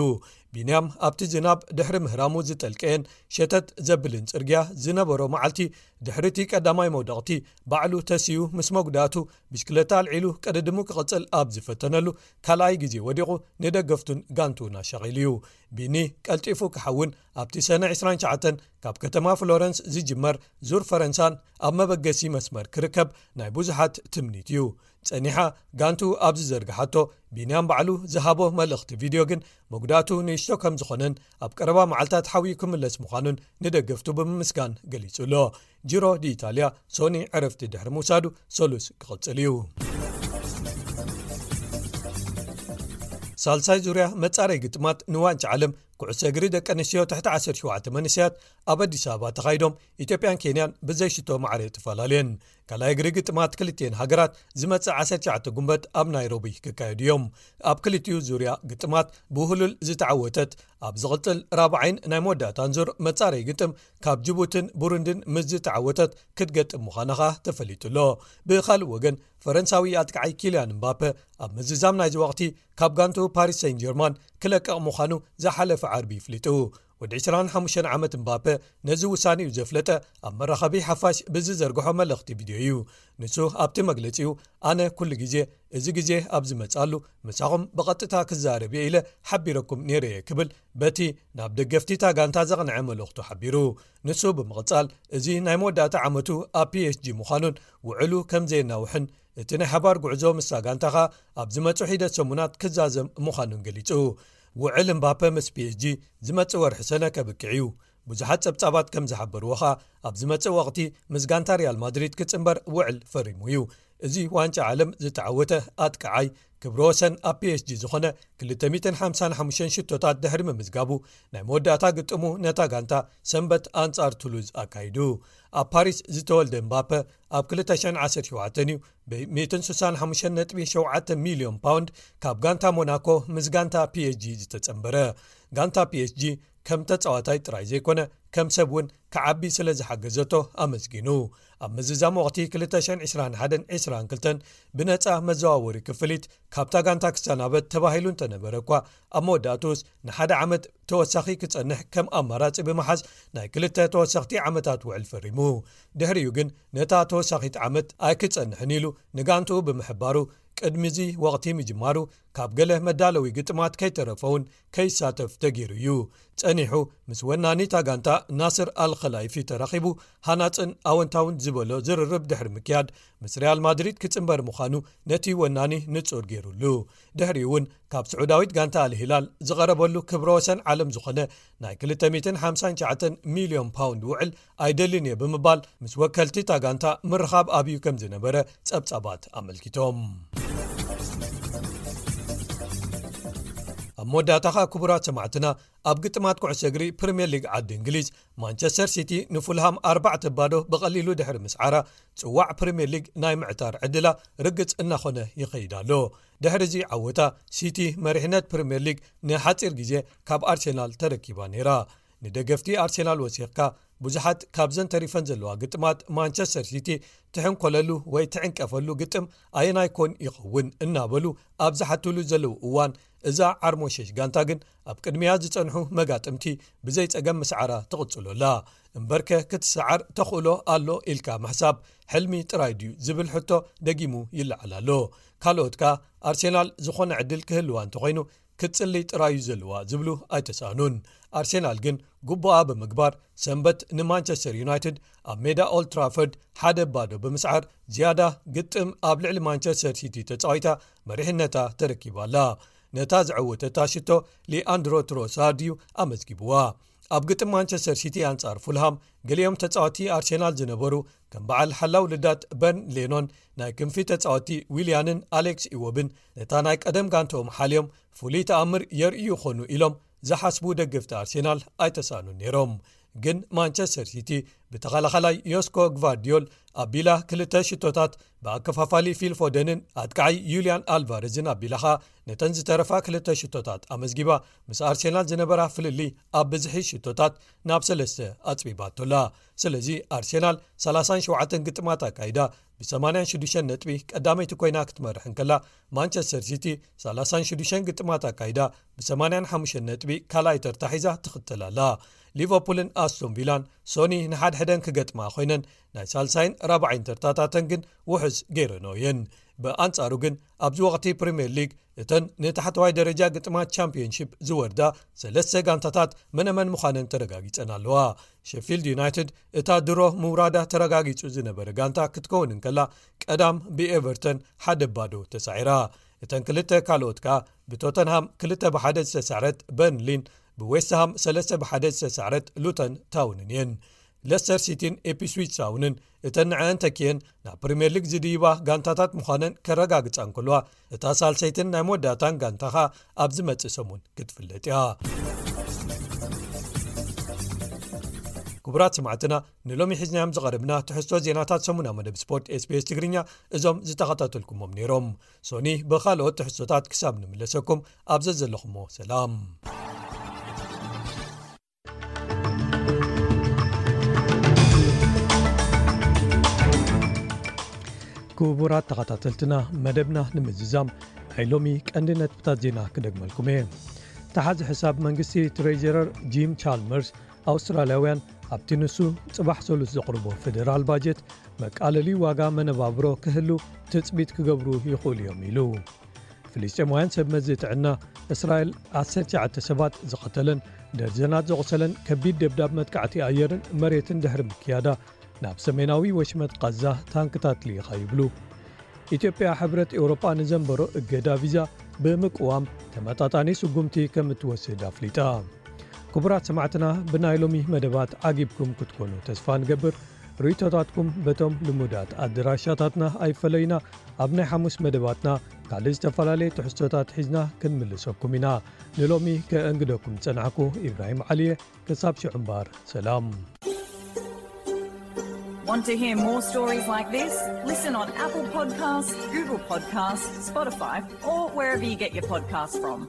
ቢንያም ኣብቲ ዝናብ ድሕሪ ምህራሙ ዝጠልቀየን ሸተት ዘብልን ጽርግያ ዝነበሮ መዓልቲ ድሕሪ እቲ ቀዳማይ መውደቕቲ ባዕሉ ተሲኡ ምስ መጉዳእቱ ብሽክለታ ኣልዒሉ ቅድድሙ ክቕጽል ኣብ ዝፈተነሉ ካልኣይ ግዜ ወዲቑ ንደገፍቱን ጋንቱን ኣሻቒሉ እዩ። ቢኒ ቀልጢፉ ክሓውን ኣብቲ ሰነ ዕስራን ትሽዓተን ካብ ከተማ ፍሎረንስ ዝጅመር ዙር ፈረንሳን ኣብ መበገሲ መስመር ክርከብ ናይ ብዙሓት ትምኒት እዩ። ጸኒሓ ጋንቱ ኣብ ዝዘርግሓቶ ቢንያም ባዕሉ ዝሃቦ መልእኽቲ ቪድዮ ግን መጉዳእቱ ንእሽቶ ከም ዝኾነን ኣብ ቀረባ መዓልታት ሓውዩ ክምለስ ምዃኑን ንደገፍቱ ብምምስጋን ገሊጹ ኣሎ። ጂሮ ዲ ኢጣልያ ሶኒ ዕረፍቲ ድሕሪ ምውሳዱ ሰሉስ ክቕጽል እዩ። ሳልሳይ ዙርያ መጻረይ ግጥማት ንዋንጫ ዓለም ኩዕሶ እግሪ ደቂ ኣንስትዮ ትሕቲ ዓሰርተ ሸውዓተ መንእሰያት ኣብ ኣዲስ ኣበባ ተኻይዶም ኢትዮጵያን ኬንያን ብዘይሽቶ ማዕረ ተፈላለየን። ካልኣይ እግሪ ግጥማት ክልቲኤን ሃገራት ዝመጽእ ዓሰርተ ትሽዓተ ጉንበት ኣብ ናይሮቢ ክካየዱ እዮም። ኣብ ክልቲኡ ዙርያ ግጥማት ብህሉል ዝተዓወተት ኣብ ዝቕጽል ራብዓይን ናይ መወዳእታን ዙር መጻረይ ግጥም ካብ ጅቡትን ቡሩንድን ምስ ዝተዓወተት ክትገጥም ምዃና ኸኣ ተፈሊጡ ኣሎ። ብኻልእ ወገን ፈረንሳዊ ኣጥቃዓይ ኪልያን ምባፐ ኣብ ምዝዛም ናይዚ ወቕቲ ካብ ጋንቱ ፓሪስ ሴን ጀርማን ክለቅቕ ምዃኑ ዝሓለፈ ዓርቢ ይፍሊጡ። ወዲ ዕስራን ሓሙሽተን ዓመት ምባፐ ነዚ ውሳኔኡ ዘፍለጠ ኣብ መራኸቢ ሓፋሽ ብዝዘርግሖ መልእኽቲ ቪድዮ እዩ። ንሱ ኣብቲ መግለጺኡ ኣነ ኩሉ ግዜ እዚ ግዜ ኣብ ዝመጻሉ ምሳኹም ብቐጥታ ክዛረብ እየ ኢለ ሓቢረኩም ነይረ እየ ክብል በቲ ናብ ደገፍቲ እታ ጋንታ ዘቕንዐ መልእኽቱ ሓቢሩ። ንሱ ብምቕጻል እዚ ናይ መወዳእታ ዓመቱ ኣብ ፒኤስጂ ምዃኑን ውዕሉ ከም ዘየናውሕን እቲ ናይ ሓባር ጉዕዞ ምስታ ጋንታ ኸኣ ኣብ ዝመጹ ሒደት ሰሙናት ክዛዘም ምዃኑን ገሊጹ። ውዕል እምባፐ ምስ ፒኤስጂ ዝመጽእ ወርሒ ሰነ ከብቅዕ እዩ። ብዙሓት ጸብጻባት ከም ዝሓበርዎ ኸኣ ኣብ ዝመጽእ ወቕቲ ምስ ጋንታ ሪያል ማድሪድ ክጽንበር ውዕል ፈሪሙ እዩ። እዚ ዋንጫ ዓለም ዝተዓወተ ኣጥቃዓይ ክብረ ወሰን ኣብ ፒኤስጂ ዝኾነ ክልተ ሚእትን ሓምሳን ሓሙሽተን ሽቶታት ድሕሪ ምምዝጋቡ ናይ መወዳእታ ግጥሙ ነታ ጋንታ ሰንበት ኣንጻር ቱሉዝ ኣካይዱ። ኣብ ፓሪስ ዝተወልደ እምባፐ ኣብ ክልተ ሽሕን ዓሰርተ ሸውዓተን እዩ ብ ሚእትን ስሳን ሓሙሽተን ነጥቢ ሸውዓተ ሚልዮን ፓውንድ ካብ ጋንታ ሞናኮ ምስ ጋንታ ፒኤስጂ ዝተጸንበረ። ጋንታ ፒኤስጂ ከም ተጻዋታይ ጥራይ ዘይኮነ ከም ሰብ እውን ክዓቢ ስለ ዝሓገዘቶ ኣመስጊኑ። ኣብ ምዝዛም ወቕቲ ክልተ ሽሕን ዕስራን ሓደን ዕስራን ክልተን ብነጻ መዘዋወሪ ክፍሊት ካብታ ጋንታ ክሰናበት ተባሂሉ እንተነበረ እኳ ኣብ መወዳእትኡስ ንሓደ ዓመት ተወሳኺ ክጸንሕ ከም ኣማራጺ ብምሓዝ ናይ ክልተ ተወሰኽቲ ዓመታት ውዕል ፈሪሙ። ድሕሪኡ ግን ነታ ተወሳኺት ዓመት ኣይክጸንሕን ኢሉ ንጋንትኡ ብምሕባሩ ቅድሚ እዚ ወቕቲ ምጅማሩ ካብ ገለ መዳለዊ ግጥማት ከይተረፈ እውን ከይሳተፍ ተገይሩ እዩ። ጸኒሑ ምስ ወናኒታ ጋንታ ናስር ኣልኸላይፊ ተራኺቡ ሃናጽን ኣወንታውን ዝበሎ ዝርርብ ድሕሪ ምክያድ፣ ምስ ሪያል ማድሪድ ክጽንበር ምዃኑ ነቲ ወናኒ ንጹር ገይሩሉ። ድሕሪኡ እውን ካብ ስዑዳዊት ጋንታ ኣልሂላል ዝቐረበሉ ክብረ ወሰን ዓለም ዝኾነ ናይ ክልተ ሚእትን ሓምሳን ትሽዓተን ሚልዮን ፓውንድ ውዕል ኣይደልን እየ ብምባል ምስ ወከልቲ እታ ጋንታ ምርኻብ ኣብዩ ከም ዝነበረ ጸብጻባት ኣመልኪቶም። ኣብ መወዳእታ ኸኣ ክቡራት ሰማዕትና፣ ኣብ ግጥማት ኩዕሶ እግሪ ፕሪምየር ሊግ ዓዲ እንግሊዝ፣ ማንቸስተር ሲቲ ንፉልሃም ኣርባዕተ ባዶ ብቐሊሉ ድሕሪ ምስዓራ፣ ጽዋዕ ፕሪምየር ሊግ ናይ ምዕታር ዕድላ ርግጽ እናኾነ ይኸይድ ኣሎ። ድሕሪ እዚ ዓወታ፣ ሲቲ መሪሕነት ፕሪምየር ሊግ ንሓጺር ግዜ ካብ ኣርሴናል ተረኪባ ነይራ። ንደገፍቲ ኣርሴናል ወሲኽካ፣ ብዙሓት ካብዘን ተሪፈን ዘለዋ ግጥማት ማንቸስተር ሲቲ ትሕንኮለሉ ወይ ትዕንቀፈሉ ግጥም ኣየናይ ኮን ይኸውን እናበሉ ኣብ ዝሓትሉ ዘለዉ እዋን፣ እዛ ዓርሞሸሽ ጋንታ ግን ኣብ ቅድሚያ ዝጸንሑ መጋጥምቲ ብዘይ ጸገም ምስዓራ ትቕጽሎ ኣላ። እምበርከ ክትሰዓር ተኽእሎ ኣሎ ኢልካ ምሕሳብ ሕልሚ ጥራይ ድዩ ዝብል ሕቶ ደጊሙ ይለዓል ኣሎ። ካልኦት ከኣ ኣርሴናል ዝኾነ ዕድል ክህልዋ እንተኾይኑ ክትጽሊ ጥራዩ ዘለዋ ዝብሉ ኣይተሳእኑን። ኣርሴናል ግን ግቡኣ ብምግባር ሰንበት ንማንቸስተር ዩናይትድ ኣብ ሜዳ ኦልድ ትራፈርድ ሓደ ባዶ ብምስዓር ዝያዳ ግጥም ኣብ ልዕሊ ማንቸስተር ሲቲ ተጻዊታ መሪሕነታ ተረኪባ ኣላ። ነታ ዘዐወተታ ሽቶ ሊኣንድሮ ትሮሳርድ እዩ ኣመዝጊብዋ። ኣብ ግጥም ማንቸስተር ሲቲ ኣንጻር ፉልሃም ገሊኦም ተጻወቲ ኣርሴናል ዝነበሩ ከም በዓል ሓላው ልዳት በርን ሌኖን፣ ናይ ክንፊ ተጻወቲ ዊልያንን ኣሌክስ ኢዎብን ነታ ናይ ቀደም ጋንትኦም ሓልዮም ፍሉይ ተኣምር የርእዩ ይኾኑ ኢሎም ዝሓስቡ ደገፍቲ ኣርሴናል ኣይተሳእኑን ነይሮም። ግን ማንቸስተር ሲቲ ብተኸላኸላይ ዮስኮ ግቫርዲዮል ኣቢላ ክልተ ሽቶታት ብኣከፋፋሊ ፊል ፎደንን ኣጥቃዓይ ዩልያን ኣልቫረዝን ኣቢላ ኸኣ ነተን ዝተረፋ ክልተ ሽቶታት ኣመዝጊባ ምስ ኣርሴናል ዝነበራ ፍልልይ ኣብ ብዝሒ ሽቶታት ናብ ሰለስተ ኣጽቢባቶላ። ስለዚ ኣርሴናል ሰላሳን ሸውዓተን ግጥማት ኣካይዳ ብሰማንያን ሽዱሽተን ነጥቢ ቀዳመይቲ ኮይና ክትመርሕ እንከላ፣ ማንቸስተር ሲቲ ሰላሳን ሽዱሽተን ግጥማት ኣካይዳ ብሰማንያን ሓሙሽተን ነጥቢ ካልኣይ ተርታ ሒዛ ትኽተል ኣላ። ሊቨርፑልን ኣስቶን ቪላን ሶኒ ንሓድሕደን ክገጥማ ኮይነን፣ ናይ ሳልሳይን ራብዓይን ተርታታተን ግን ውሑስ ገይረንኦ እየን። ብኣንጻሩ ግን ኣብዚ ወቕቲ ፕሪምየር ሊግ እተን ንታሕተዋይ ደረጃ ግጥማት ቻምፒዮንሺፕ ዝወርዳ ሰለስተ ጋንታታት መነመን ምዃነን ተረጋጊጸን ኣለዋ። ሸፊልድ ዩናይትድ እታ ድሮ ምውራዳ ተረጋጊጹ ዝነበረ ጋንታ ክትከውን እንከላ፣ ቀዳም ብኤቨርተን ሓደ ባዶ ተሳዒራ። እተን ክልተ ካልኦት ከኣ ብቶተንሃም ክልተ ብሓደ ዝተሳዕረት በርንሊን ብዌስትሃም ሰለስተ ብሓደ ዝተሳዕረት ሉተን ታውንን እየን። ለስተር ሲቲን ኢፕስዊች ታውንን እተን ንዐአን ተኪኤን ናብ ፕሪምየር ሊግ ዝድይባ ጋንታታት ምዃነን ከረጋግጻ እንከልዋ፣ እታ ሳልሰይትን ናይ መወዳእታን ጋንታ ኸኣ ኣብ ዝመጽእ ሰሙን ክትፍለጥ እያ። ክቡራት ሰማዕትና፣ ንሎሚ ሒዝናዮም ዝቐረብና ትሕዝቶ ዜናታት ሰሙና መደብ ስፖርት ኤስቢኤስ ትግርኛ እዞም ዝተኸታተልኩሞም ነይሮም። ሶኒ ብኻልኦት ትሕዝቶታት ክሳብ ንምለሰኩም ኣብ ዘዘለኹሞ ሰላም። ክቡራት ተኸታተልትና፣ መደብና ንምዝዛም ናይ ሎሚ ቀንዲ ነጥብታት ዜና ክደግመልኩም እየ። ተሓዚ ሕሳብ መንግስቲ ትሬጀረር ጂም ቻልመርስ፣ ኣውስትራልያውያን ኣብቲ ንሱ ጽባሕ ሰሉስ ዘቕርቦ ፌደራል ባጀት መቃለሊ ዋጋ መነባብሮ ክህሉ ትጽቢት ክገብሩ ይኽእሉ እዮም ኢሉ። ፍልስጤማውያን ሰብ መዚ ጥዕና እስራኤል ዓሰርተ ትሽዓተ ሰባት ዝቐተለን ደርዘናት ዘቑሰለን ከቢድ ደብዳብ መጥቃዕቲ ኣየርን መሬትን ድሕሪ ምክያዳ ናብ ሰሜናዊ ወሽመጥ ቃዛ ታንክታት ልኢኻ ይብሉ። ኢትዮጵያ ሕብረት ኤውሮጳ ንዘንበሮ እገዳ ቪዛ ብምቅዋም ተመጣጣኒ ስጉምቲ ከም እትወስድ ኣፍሊጣ። ክቡራት ሰማዕትና፣ ብናይ ሎሚ መደባት ዓጊብኩም ክትኮኑ ተስፋ ንገብር። ርእይቶታትኩም በቶም ልሙዳት ኣድራሻታትና ኣይፈለዩና። ኣብ ናይ ሓሙስ መደባትና ካልእ ዝተፈላለየ ትሕዝቶታት ሒዝና ክንምልሰኩም ኢና። ንሎሚ ከእንግደኩም ዝጸናሕኩ ኢብራሂም ዓሊየ። ክሳብ ሽዑ እምበኣር፣ ሰላም። Want to hear more stories like this? Listen on Apple Podcasts, Google Podcasts, Spotify, or wherever you get your podcasts from.